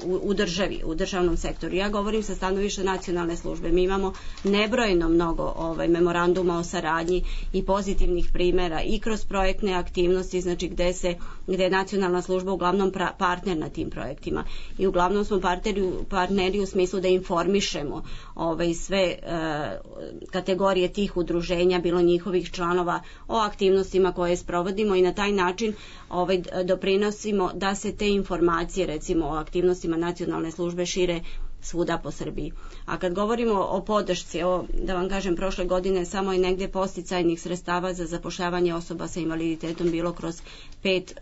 u, u državi, u državnom sektoru. Ja govorim sa stanovišta nacionalne službe. Mi imamo nebrojeno mnogo ovaj, memoranduma o saradnji i pozitivnih primera i kroz projektne aktivnosti, znači gde se gde je nacionalna služba uglavnom pra, partner na tim projektima. I uglavnom smo partneri, partneri u smislu da informišemo ovaj, sve e, kategorije tih udruženja, bilo njihovih članova, o aktivnostima koje sprovodimo i na taj način ovaj, doprinosimo da se te informacije, recimo o aktivnostima nacionalne službe, šire svuda po Srbiji. A kad govorimo o podršci, evo, da vam kažem, prošle godine samo je negde posticajnih sredstava za zapošljavanje osoba sa invaliditetom bilo kroz pet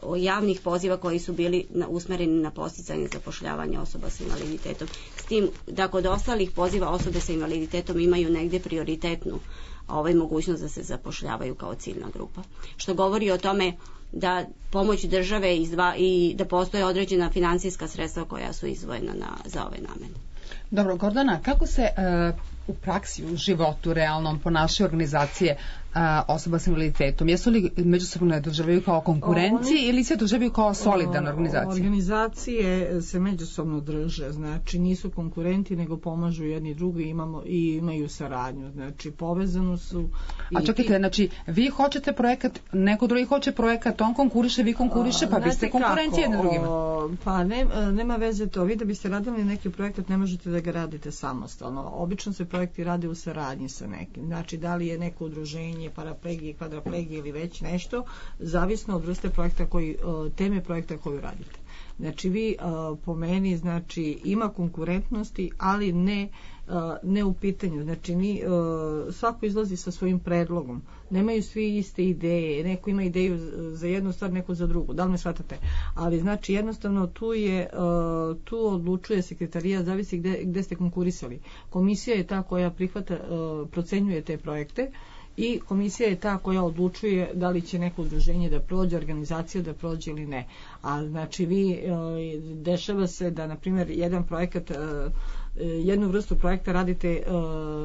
uh, javnih poziva koji su bili na, usmereni na posticanje zapošljavanja osoba sa invaliditetom. S tim da kod ostalih poziva osobe sa invaliditetom imaju negde prioritetnu ovaj, mogućnost da se zapošljavaju kao ciljna grupa. Što govori o tome da pomoć države izdva, i da postoje određena finansijska sredstva koja su izdvojena na, za ove namene. Dobro, Gordana, kako se uh, u praksi, u životu realnom ponašaju organizacije uh, osoba sa invaliditetom? Jesu li međusobno ne doživljaju kao konkurenci Oni, ili se doživljaju kao solidna organizacija? Organizacije se međusobno drže, znači nisu konkurenti nego pomažu jedni drugi, imamo, i imaju saradnju, znači povezano su. A čekajte, znači vi hoćete projekat, neko drugi hoće projekat, on konkuriše, vi konkuriše, pa vi ste konkurencije jedni drugima. Pa ne, nema veze to, vi da biste radili neki projekat ne možete da ga radite samostalno. Obično se projekat projekti rade u saradnji sa nekim. Znači, da li je neko udruženje, paraplegije, kvadraplegije ili već nešto, zavisno od vrste projekta koji, teme projekta koju radite. Znači, vi po meni, znači, ima konkurentnosti, ali ne ne u pitanju, znači ni, svako izlazi sa svojim predlogom, nemaju svi iste ideje, neko ima ideju za jednu stvar, neko za drugu, da li me shvatate, ali znači jednostavno tu je, tu odlučuje sekretarija, zavisi gde, gde ste konkurisali. Komisija je ta koja prihvata, procenjuje te projekte i komisija je ta koja odlučuje da li će neko udruženje da prođe, organizacija da prođe ili ne. A znači vi, dešava se da na primjer jedan projekat, jednu vrstu projekta radite uh,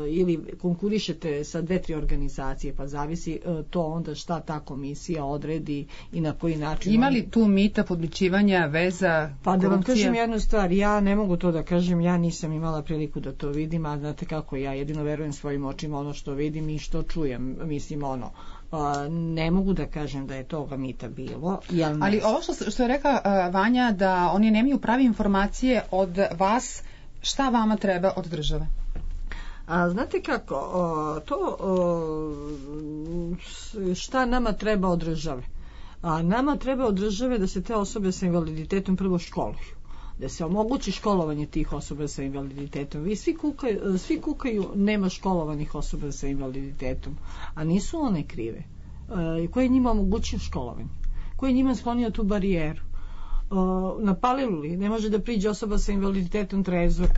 ili konkurišete sa dve, tri organizacije, pa zavisi uh, to onda šta ta komisija odredi i na koji način. Ima li tu mita, podmićivanja, veza, pa korupcija? Da vam kažem jednu stvar, ja ne mogu to da kažem, ja nisam imala priliku da to vidim, a znate kako, ja jedino verujem svojim očima ono što vidim i što čujem, mislim ono. Uh, ne mogu da kažem da je toga mita bilo. Jel ali ovo što, što je rekla uh, Vanja, da oni nemaju prave informacije od vas, šta vama treba od države? A znate kako, o, to o, šta nama treba od države? A nama treba od države da se te osobe sa invaliditetom prvo školuju, da se omogući školovanje tih osoba sa invaliditetom. Vi svi kukaju, svi kukaju nema školovanih osoba sa invaliditetom, a nisu one krive. E, ko je njima omogućio školovanje? Ko je njima sklonio tu barijeru? Uh, na Paliluli ne može da priđe osoba sa invaliditetom trezor,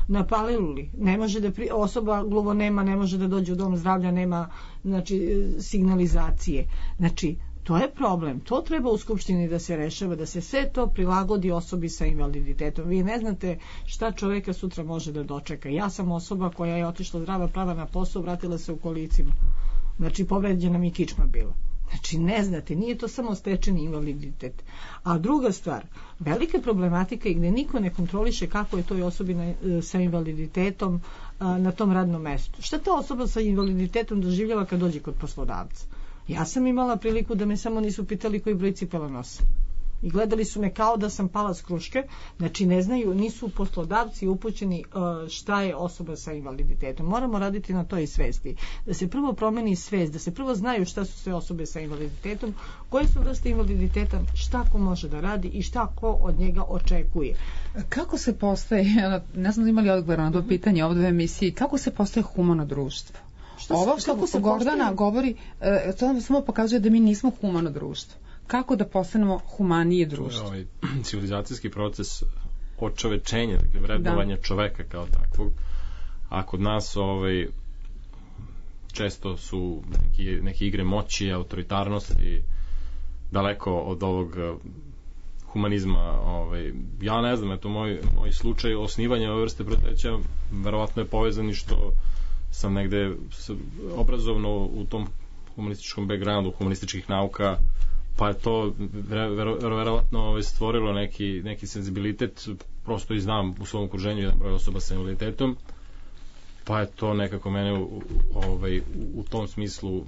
na Paliluli ne može da pri... osoba gluvonema ne može da dođe u dom zdravlja, nema znači signalizacije. Znači to je problem, to treba u Skupštini da se rešava, da se sve to prilagodi osobi sa invaliditetom. Vi ne znate šta čoveka sutra može da dočeka. Ja sam osoba koja je otišla zdrava prava na posao, vratila se u kolicima, znači povređena mi kičma bila. Znači, ne znate, nije to samo stečeni invaliditet. A druga stvar, velika problematika je gde niko ne kontroliše kako je toj osobi na, sa invaliditetom a, na tom radnom mestu. Šta ta osoba sa invaliditetom doživljava kad dođe kod poslodavca? Ja sam imala priliku da me samo nisu pitali koji broj cipela nosi. I gledali su me kao da sam pala s kruške, znači ne znaju, nisu poslodavci upućeni uh, šta je osoba sa invaliditetom. Moramo raditi na toj svesti. Da se prvo promeni svest, da se prvo znaju šta su sve osobe sa invaliditetom, koje su vrste invaliditeta, šta ko može da radi i šta ko od njega očekuje. Kako se postaje, ne znam da imali odgovor na to pitanje ovdje u emisiji, kako se postaje humano društvo? Šta, Ovo što se Gordana postaje? govori, uh, to samo pokazuje da mi nismo humano društvo. Kako da postanemo humanije društvo? Ovaj civilizacijski proces očovečenja, dakle vrednovanja da. čoveka kao takvog. A kod nas ovaj često su neki, neke igre moći, autoritarnosti daleko od ovog humanizma. Ovaj ja ne znam, eto moj moj slučaj osnivanja ove vrste preduzeća verovatno je povezan i što sam negde obrazovno u tom humanističkom backgroundu, humanističkih nauka, pa je to verovatno ovaj, stvorilo neki, neki senzibilitet, prosto i znam u svom okruženju jedan broj osoba sa invaliditetom, pa je to nekako mene u, ovaj, u tom smislu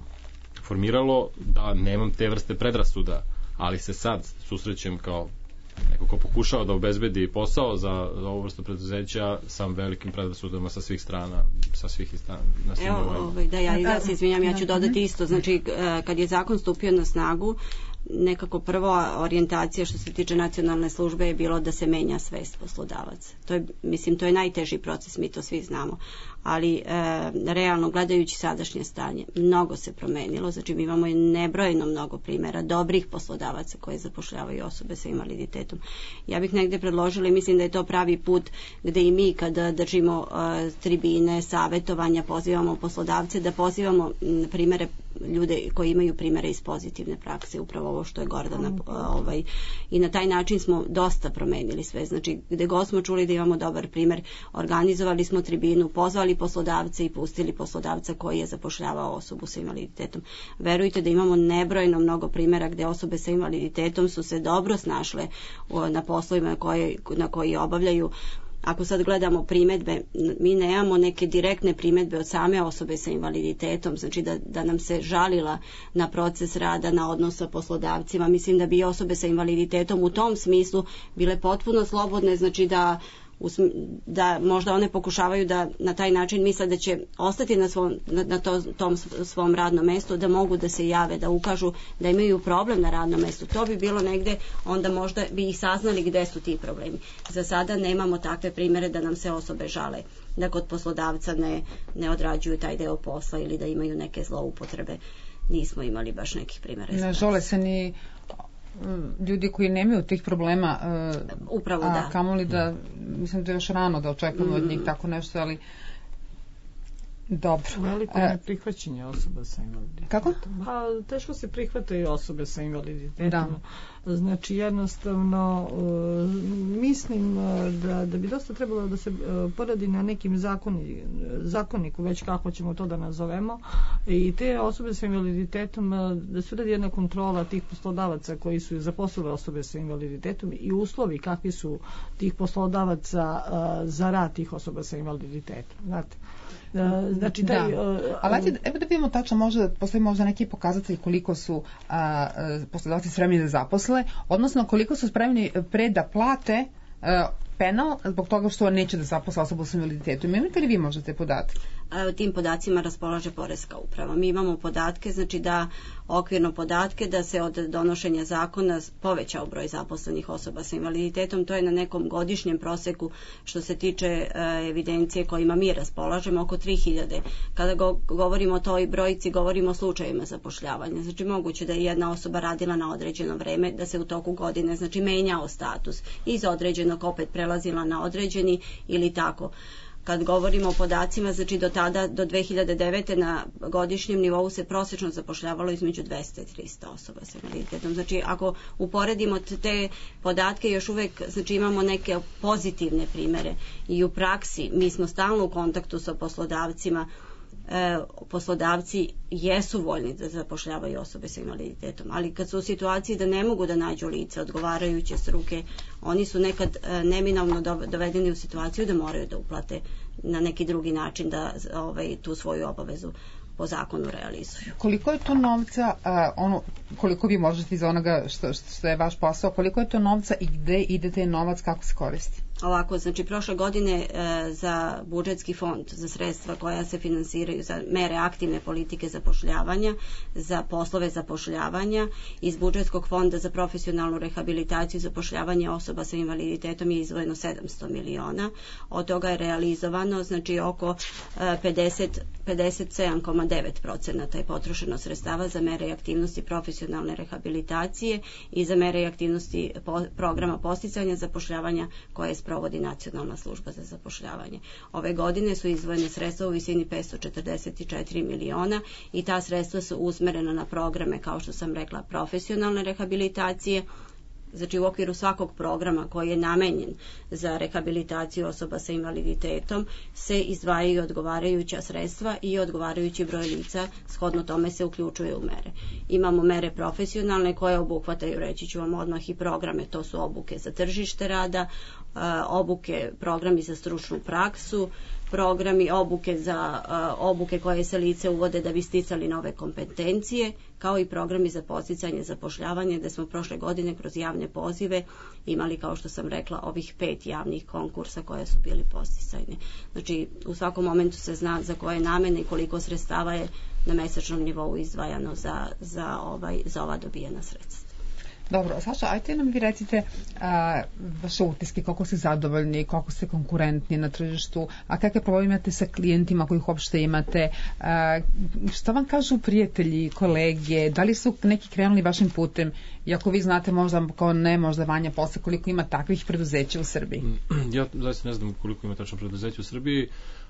formiralo da nemam te vrste predrasuda, ali se sad susrećem kao neko ko pokušava da obezbedi posao za, za ovu vrstu preduzeća sa velikim predrasudama sa svih strana, sa svih strana. Evo, ovaj, da ja, ja se izvinjam, ja ću dodati isto, znači kad je zakon stupio na snagu, nekako prva orijentacija što se tiče nacionalne službe je bilo da se menja svest poslodavaca. To je, mislim, to je najteži proces, mi to svi znamo. Ali e, realno gledajući sadašnje stanje, mnogo se promenilo, znači mi imamo nebrojeno mnogo primjera dobrih poslodavaca koji zapošljavaju osobe sa invaliditetom. Ja bih negde predložila i mislim da je to pravi put gde i mi kada držimo e, tribine, savetovanja, pozivamo poslodavce, da pozivamo m, primere ljude koji imaju primere iz pozitivne prakse, upravo ovo što je Gordana ovaj, i na taj način smo dosta promenili sve, znači gde god smo čuli da imamo dobar primer, organizovali smo tribinu, pozvali poslodavce i pustili poslodavca koji je zapošljavao osobu sa invaliditetom. Verujte da imamo nebrojno mnogo primjera gde osobe sa invaliditetom su se dobro snašle na poslovima koje, na koji obavljaju. Ako sad gledamo primedbe, mi nemamo neke direktne primedbe od same osobe sa invaliditetom, znači da, da nam se žalila na proces rada, na odnos sa poslodavcima. Mislim da bi osobe sa invaliditetom u tom smislu bile potpuno slobodne, znači da da možda one pokušavaju da na taj način misle da će ostati na, svom, na, na to, tom svom radnom mestu, da mogu da se jave, da ukažu da imaju problem na radnom mestu. To bi bilo negde, onda možda bi ih saznali gde su ti problemi. Za sada nemamo takve primere da nam se osobe žale da kod poslodavca ne, ne odrađuju taj deo posla ili da imaju neke zloupotrebe. Nismo imali baš nekih primera. Ne žale se ni ljudi koji nemaju tih problema, upravo a da. kamoli da, mislim da je još rano da očekamo mm. od njih tako nešto, ali dobro. Veliko je prihvaćanje osoba sa invaliditetom. Kako? Pa, teško se prihvataju osobe sa invaliditetom. Da. Znači, jednostavno, uh, mislim da, da bi dosta trebalo da se uh, poradi na nekim zakoni, zakoniku, već kako ćemo to da nazovemo, i te osobe sa invaliditetom, uh, da se uradi jedna kontrola tih poslodavaca koji su zaposlili osobe sa invaliditetom i uslovi kakvi su tih poslodavaca uh, za rad tih osoba sa invaliditetom. Znate, znači taj, da. Uh, ali ajde, evo da vidimo tačno, možda postoji možda neki pokazatelj koliko su a, poslodavci spremni da zaposle, odnosno koliko su spremni pre da plate a, penal zbog toga što neće da zaposle osobu sa invaliditetom. Imate li vi možda te podatke? Tim podacima raspolaže Poreska uprava. Mi imamo podatke, znači da okvirno podatke da se od donošenja zakona povećao broj zaposlenih osoba sa invaliditetom. To je na nekom godišnjem proseku što se tiče evidencije kojima mi raspolažemo, oko tri hiljade. Kada go, govorimo o toj brojci, govorimo o slučajevima zapošljavanja. Znači moguće da je jedna osoba radila na određeno vreme, da se u toku godine znači menjao status iz određenog opet prelazila na određeni ili tako. Kad govorimo o podacima, znači do tada, do dve hiljade devete na godišnjem nivou se prosečno zapošljavalo između dvesta i trista osoba sa invaliditetom. Znači, ako uporedimo te podatke, još uvek znači, imamo neke pozitivne primere i u praksi mi smo stalno u kontaktu sa poslodavcima. E, poslodavci jesu voljni da zapošljavaju osobe sa invaliditetom, ali kad su u situaciji da ne mogu da nađu lice odgovarajuće struke, oni su nekad e, neminovno dovedeni u situaciju da moraju da uplate na neki drugi način da ovaj, tu svoju obavezu po zakonu realizuju. Koliko je to novca, a, ono, koliko vi možete iz onoga što, što je vaš posao, koliko je to novca i gde ide taj novac, kako se koristi? Ovako, znači prošle godine e, za budžetski fond, za sredstva koja se finansiraju za mere aktivne politike zapošljavanja, za poslove zapošljavanja, iz budžetskog fonda za profesionalnu rehabilitaciju i zapošljavanje osoba sa invaliditetom je izdvojeno sedamsto miliona. Od toga je realizovano znači oko e, pedeset, pedeset sedam zarez devet procenata je potrošeno sredstava za mere i aktivnosti profesionalne rehabilitacije i za mere i aktivnosti po, programa posticanja zapošljavanja koje je provodi Nacionalna služba za zapošljavanje. Ove godine su izdvojene sredstva u visini petsto četrdeset četiri miliona i ta sredstva su usmerena na programe, kao što sam rekla, profesionalne rehabilitacije. Znači u okviru svakog programa koji je namenjen za rehabilitaciju osoba sa invaliditetom se izdvajaju odgovarajuća sredstva i odgovarajući broj lica, shodno tome se uključuje u mere. Imamo mere profesionalne koje obuhvataju, reći ću vam odmah, i programe, to su obuke za tržište rada, obuke, programi za stručnu praksu, programi obuke za uh, obuke koje se lice uvode da bi sticali nove kompetencije, kao i programi za podsticanje zapošljavanja, gde smo prošle godine kroz javne pozive imali, kao što sam rekla, ovih pet javnih konkursa koje su bili podsticajne. Znači, u svakom momentu se zna za koje namene i koliko sredstava je na mesečnom nivou izdvajano za, za, ovaj, za ova dobijena sredstva. Dobro, Saša, ajte nam vi recite a, vaše utiske, koliko ste zadovoljni, koliko ste konkurentni na tržištu, a kakve probleme imate sa klijentima kojih uopšte imate, a, šta vam kažu prijatelji, kolege, da li su neki krenuli vašim putem, i ako vi znate možda kao ne, možda Vanja posle, koliko ima takvih preduzeća u Srbiji? Ja zaista ne znam koliko ima tačno preduzeća u Srbiji,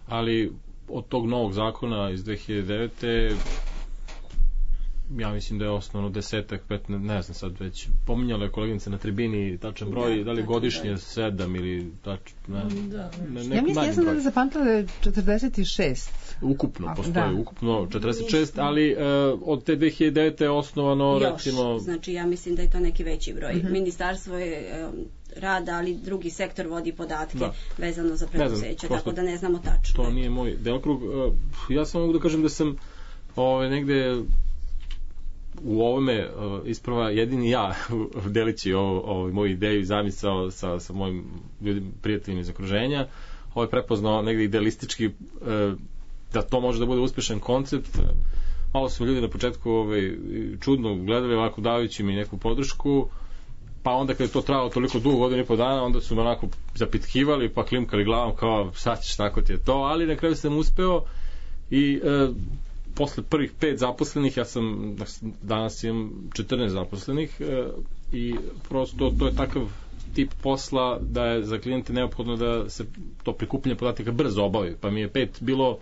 ali od tog novog zakona iz dve hiljade devete ja mislim da je osnovno desetak, petnaest, ne znam sad već, pominjala je koleginica na tribini tačan broj, da, da li godišnje da. sedam ili tač, ne, da. ne, ja mislim, ja sam da zapamtila da je četrdeset šest. Ukupno, postoje da. ukupno četrdeset šest, ali uh, od te dve hiljade devete je osnovano, još, recimo... znači ja mislim da je to neki veći broj. Mm-hmm. Ministarstvo je um, rada, ali drugi sektor vodi podatke da. vezano za preduzeće, tako da ne znamo tačno. To nije moj delokrug. Uh, ja samo mogu da kažem da sam ove, negde u ovome isprava jedini ja delići ovo, ovo, moju ideju i zamisao sa, sa mojim ljudim, prijateljima iz okruženja. Ovo je prepoznao negdje idealistički da to može da bude uspešan koncept. Malo su ljudi na početku ovaj, čudno gledali, ovako davajući mi neku podršku, pa onda kad je to trajalo toliko dugo, godinu i po dana, onda su me onako zapitkivali pa klimkali glavom kao sad ćeš, tako ti je to, ali na kraju sam uspeo i e, posle prvih pet zaposlenih, ja sam danas imam četrnaest zaposlenih e, i prosto to je takav tip posla da je za klijente neophodno da se to prikupljanje podataka brzo obavi, pa mi je pet bilo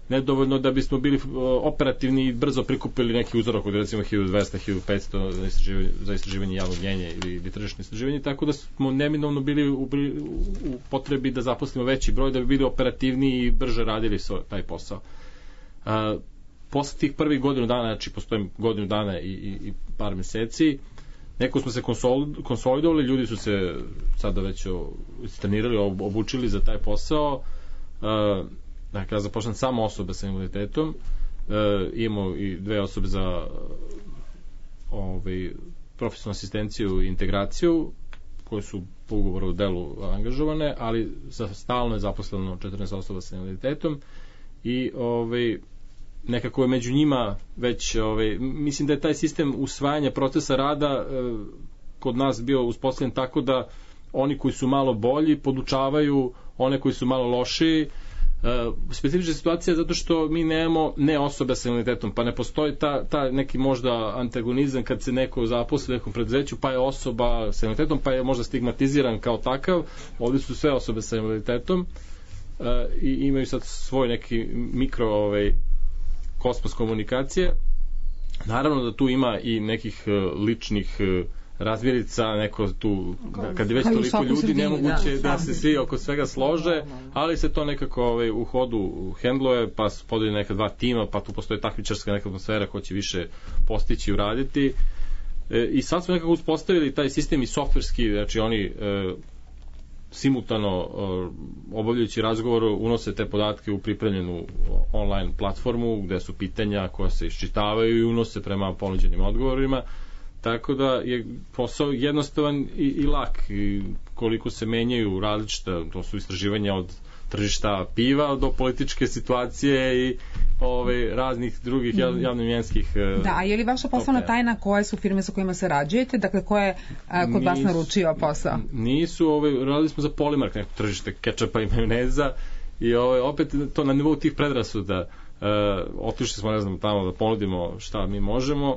nedovoljno da bismo bili operativni i brzo prikupili neki uzorak od recimo hiljadu dvesta do hiljadu petsto za istraživanje, za istraživanje javnog mnjenja ili, ili tržišno istraživanje, tako da smo neminovno bili u, u potrebi da zaposlimo veći broj da bi bili operativniji i brže radili svoj, taj posao. A, posle tih prvih godinu dana, znači postoji godinu dana i, i, i par meseci, neko smo se konsolidovali, ljudi su se sada već istrenirali, obučili za taj posao. A, Dakle, ja započnem samo osobe sa invaliditetom, e, imamo i dve osobe za ovaj, profesionalnu asistenciju i integraciju, koje su po ugovoru o delu angažovane, ali za stalno je zaposleno četrnaest osoba sa invaliditetom i ovaj, nekako je među njima već, ovaj, mislim da je taj sistem usvajanja procesa rada e, kod nas bio uspostavljen tako da oni koji su malo bolji podučavaju one koji su malo lošiji. Uh, specifična situacija je zato što mi nemamo ne osobe sa invaliditetom, pa ne postoji ta, ta neki možda antagonizam kad se neko zaposli u nekom preduzeću, pa je osoba sa invaliditetom, pa je možda stigmatiziran kao takav. Ovdje su sve osobe sa invaliditetom uh, i imaju sad svoj neki mikro ovaj, kosmos komunikacije. Naravno da tu ima i nekih uh, ličnih uh, razmirica, neko tu, da, kad je već toliko ljudi, nemoguće da, da se svi oko svega slože, ali se to nekako ovaj, u hodu hendluje, pa se podeli neka dva tima, pa tu postoji takmičarska neka atmosfera ko će više postići i uraditi. E, I sad smo nekako uspostavili taj sistem i softverski, znači oni e, simultano e, obavljajući razgovor unose te podatke u pripremljenu online platformu gde su pitanja koja se iščitavaju i unose prema ponuđenim odgovorima. Tako da je posao jednostavan i, i lak i koliko se menjaju različita, to su istraživanja od tržišta piva do političke situacije i ove, raznih drugih javnomjenskih. Da, a je li vaša poslovna tajna koje su firme sa kojima sarađujete, dakle ko je a, kod nisu, vas naručio posao? Nisu, ove, radili smo za Polimark, neko tržište kečapa i majoneza i ove, opet to na nivou tih predrasuda. E, otišli smo, ne znam, tamo da ponudimo šta mi možemo.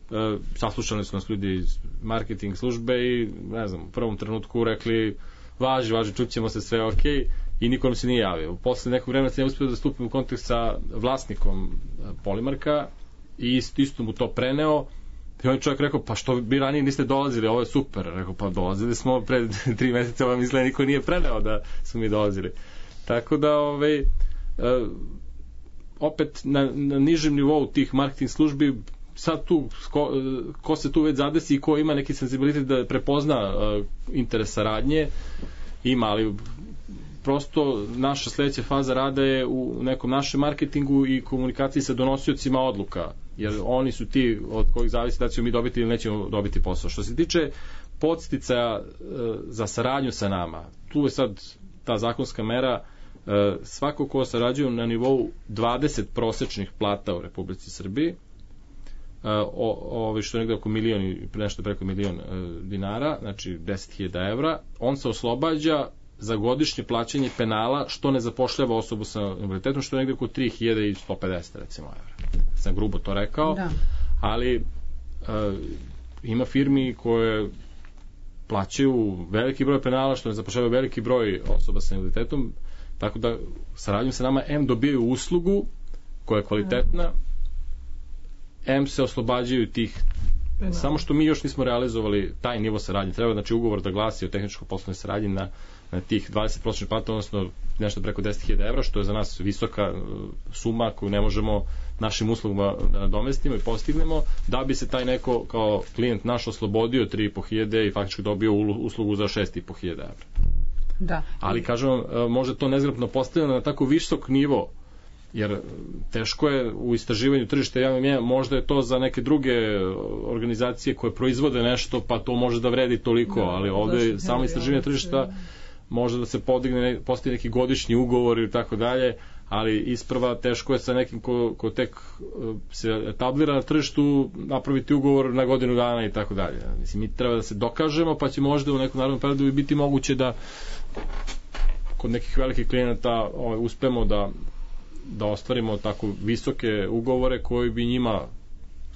Uh, saslušali su nas ljudi iz marketing službe i ne znam, u prvom trenutku rekli važi, važi, čućemo se, sve ok i niko nam se nije javio. Posle nekog vremena sam ja uspio da stupim u kontakt sa vlasnikom Polimarka i isto, isto mu to preneo i on je čovjek rekao, pa što bi ranije niste dolazili, ovo je super. Rekao, pa dolazili smo pred tri meseca, vam izgleda niko nije preneo da su mi dolazili. Tako da ovaj, uh, opet na, na nižem nivou tih marketing službi sad tu, ko, ko se tu već zadesi i ko ima neki senzibilitet da prepozna uh, interes saradnje, ima, ali prosto naša sledeća faza rada je u nekom našem marketingu i komunikaciji sa donosiocima odluka, jer oni su ti od kojih zavisi da ćemo mi dobiti ili nećemo dobiti posao. Što se tiče podsticaja uh, za saradnju sa nama, tu je sad ta zakonska mera, uh, svako ko sarađuje na nivou dvadeset prosečnih plata u Republici Srbiji, o, o, što je negde oko milion i nešto preko milion e, dinara, znači deset hiljada evra, on se oslobađa za godišnje plaćanje penala što ne zapošljava osobu sa invaliditetom, što je negde oko tri hiljade sto pedeset recimo evra. Sam grubo to rekao, da. Ali e, ima firmi koje plaćaju veliki broj penala što ne zapošljavaju veliki broj osoba sa invaliditetom, tako da saradnjom sa nama M dobijaju uslugu koja je kvalitetna, M se oslobađaju tih penala. Samo što mi još nismo realizovali taj nivo saradnje. Treba znači ugovor da glasi o tehničko-poslovnoj saradnji na, na tih dvadeset prosječnih plata, odnosno nešto preko deset hiljada evra, što je za nas visoka suma koju ne možemo našim uslugama da nadomestimo i postignemo, da bi se taj neko kao klijent naš oslobodio tri i po hiljade i faktički dobio uslugu za šest i po hiljada evra. Da. Ali kažem vam, možda to nezgrapno postavljeno na tako visok nivo jer teško je u istraživanju tržišta javnog mnjenja, možda je to za neke druge organizacije koje proizvode nešto, pa to može da vredi toliko, da, ali ovde samo istraživanje tržišta može da se podigne, postoji neki godišnji ugovor ili tako dalje, ali isprva teško je sa nekim ko, ko tek se etablira na tržištu napraviti ugovor na godinu dana i tako dalje. Mislim, mi treba da se dokažemo, pa će možda u nekom narodnom periodu biti moguće da kod nekih velikih klijenata ovaj, uspemo da da ostvarimo tako visoke ugovore koji bi njima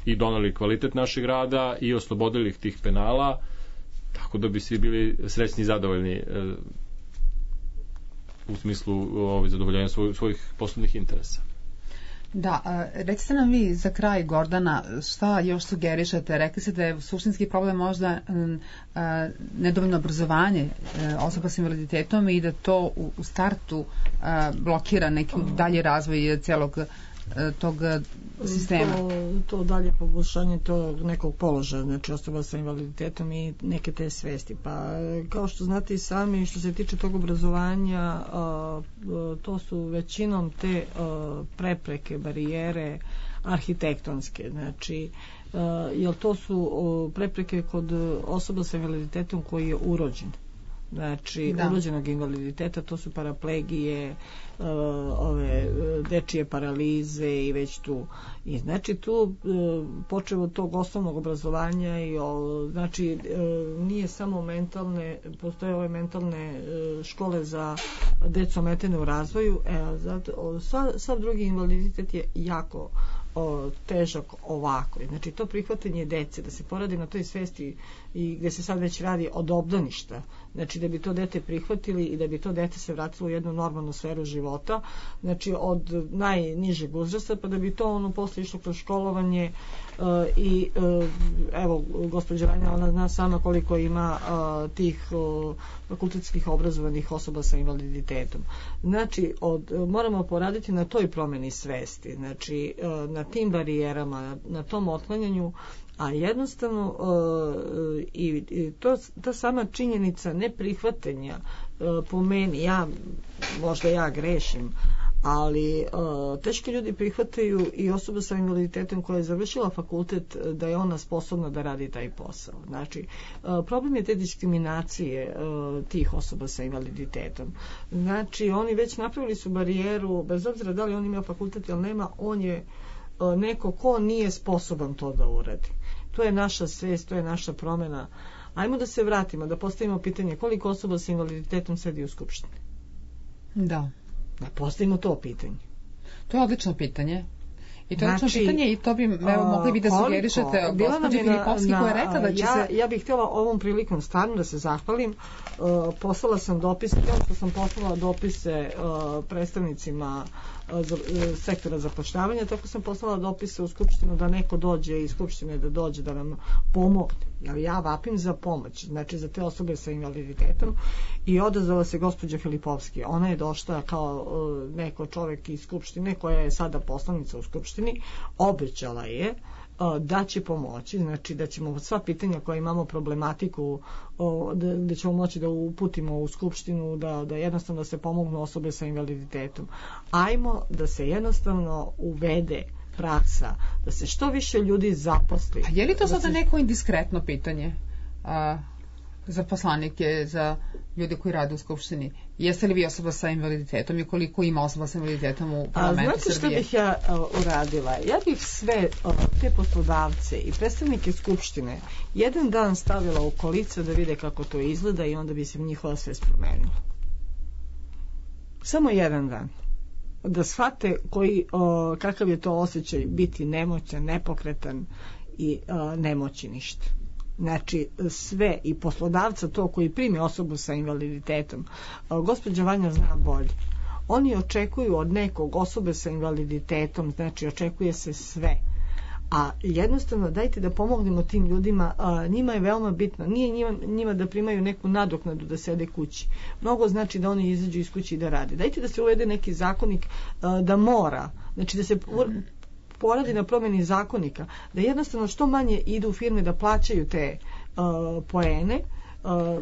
i doneli kvalitet našeg rada i oslobodili ih tih penala, tako da bi svi bili srećni i zadovoljni e, u smislu ovaj, zadovoljenja svoj, svojih poslovnih interesa. Da, recite nam vi za kraj, Gordana, šta još sugerišete? Rekli ste da je suštinski problem možda a, nedovoljno obrazovanje a, osoba sa invaliditetom i da to u, u startu a, blokira neki dalji razvoj celog a, tog sistema. To, to dalje poboljšanje tog nekog položaja, znači osoba sa invaliditetom i neke te svesti. Pa kao što znate i sami, što se tiče tog obrazovanja, a, a, to su većinom te a, prepreke, barijere arhitektonske, znači a, jer to su a, prepreke kod osoba sa invaliditetom koji je urođen. Znači, da. Urođenog invaliditeta, to su paraplegije, uh, ove dečije paralize i već tu. I znači tu uh, počeo od tog osnovnog obrazovanja i o, znači uh, nije samo mentalne, postoje ove mentalne uh, škole za decu ometene u razvoju, e, zato, sav, sav drugi invaliditet je jako o, težak ovako. Znači to prihvatanje dece, da se poradi na toj svesti i gde se sad već radi od obdaništa, znači da bi to dete prihvatili i da bi to dete se vratilo u jednu normalnu sferu života, znači od najnižeg uzrasta, pa da bi to ono posle išlo kroz školovanje uh, i uh, evo gospođa Ranja, ona zna sama koliko ima uh, tih uh, fakultetskih obrazovanih osoba sa invaliditetom. Znači od, uh, moramo poraditi na toj promeni svesti, znači uh, na tim barijerama, na, na tom otklanjanju, a jednostavno uh, i, i to, ta sama činjenica neprihvatanja uh, po meni, ja možda ja grešim, ali uh, teški ljudi prihvataju i osoba sa invaliditetom koja je završila fakultet da je ona sposobna da radi taj posao. Znači, uh, problem je te diskriminacije uh, tih osoba sa invaliditetom. Znači, oni već napravili su barijeru, bez obzira da li on ima fakultet ili nema, on je uh, neko ko nije sposoban to da uradi. To je naša svest, to je naša promena. Ajmo da se vratimo, da postavimo pitanje koliko osoba sa invaliditetom sedi u Skupštini. Da. Da postavimo to pitanje. To je odlično pitanje. I to je znači, odlično pitanje i to bi, evo, mogli bi da sugerišete gospođi Filipovski koja je rekla da će ja, se... Ja bih htjela ovom prilikom stvarno da se zahvalim. Uh, poslala sam dopise, kao što sam poslala dopise uh, predstavnicima uh, za, uh, sektora zapošljavanja, tako sam poslala dopise u Skupštinu da neko dođe iz Skupštine da dođe da nam pomogne. Ja, ja vapim za pomoć, znači za te osobe sa invaliditetom, i odazvala se gospođa Filipovski. Ona je došla kao uh, neko čovjek iz Skupštine koja je sada poslanica u Skupštini, obećala je da će pomoći, znači da ćemo sva pitanja koja imamo problematiku, da, da ćemo moći da uputimo u Skupštinu, da, da jednostavno da se pomognu osobe sa invaliditetom. Ajmo da se jednostavno uvede praksa, da se što više ljudi zaposli. A je li to sada se... neko indiskretno pitanje a, za poslanike, za ljude koji rade u Skupštini? Jeste li vi osoba sa invaliditetom i koliko ima osoba sa invaliditetom u parlamentu Srbije? A znate što bih ja uh, uradila? Ja bih sve uh, te poslodavce i predstavnike Skupštine jedan dan stavila u kolica da vide kako to izgleda i onda bi se njihova svest promenila. Samo jedan dan. Da shvate koji, uh, kakav je to osjećaj biti nemoćan, nepokretan i uh, nemoći ništa. Znači sve, i poslodavca to koji primi osobu sa invaliditetom, gospođa Vanja zna bolje, oni očekuju od nekog osobe sa invaliditetom, znači očekuje se sve, a jednostavno dajte da pomognemo tim ljudima. A, njima je veoma bitno, nije njima, njima da primaju neku nadoknadu da sede kući, mnogo znači da oni izađu iz kući i da rade. Dajte da se uvede neki zakonik a, da mora, znači da se poradi na promjeni zakonika, da jednostavno što manje idu u firme da plaćaju te uh, poene,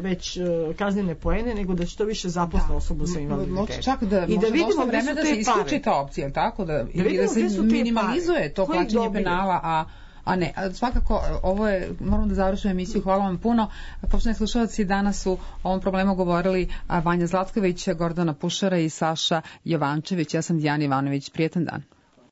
već uh, kaznene poene, nego da što više zaposle osobu sa invaliditetom. Čak da, I da vidimo vreme da se isključi ta opcija, tako da, da, ili da se minimalizuje to plaćanje penala, a A ne, svakako ovo je, moramo da završimo emisiju, hvala vam puno. Poštovani slušalci, danas su o ovom problemu govorili Vanja Zlatković, Gordana Pušara i Saša Jovančević. Ja sam Dijana Ivanović, prijetan dan.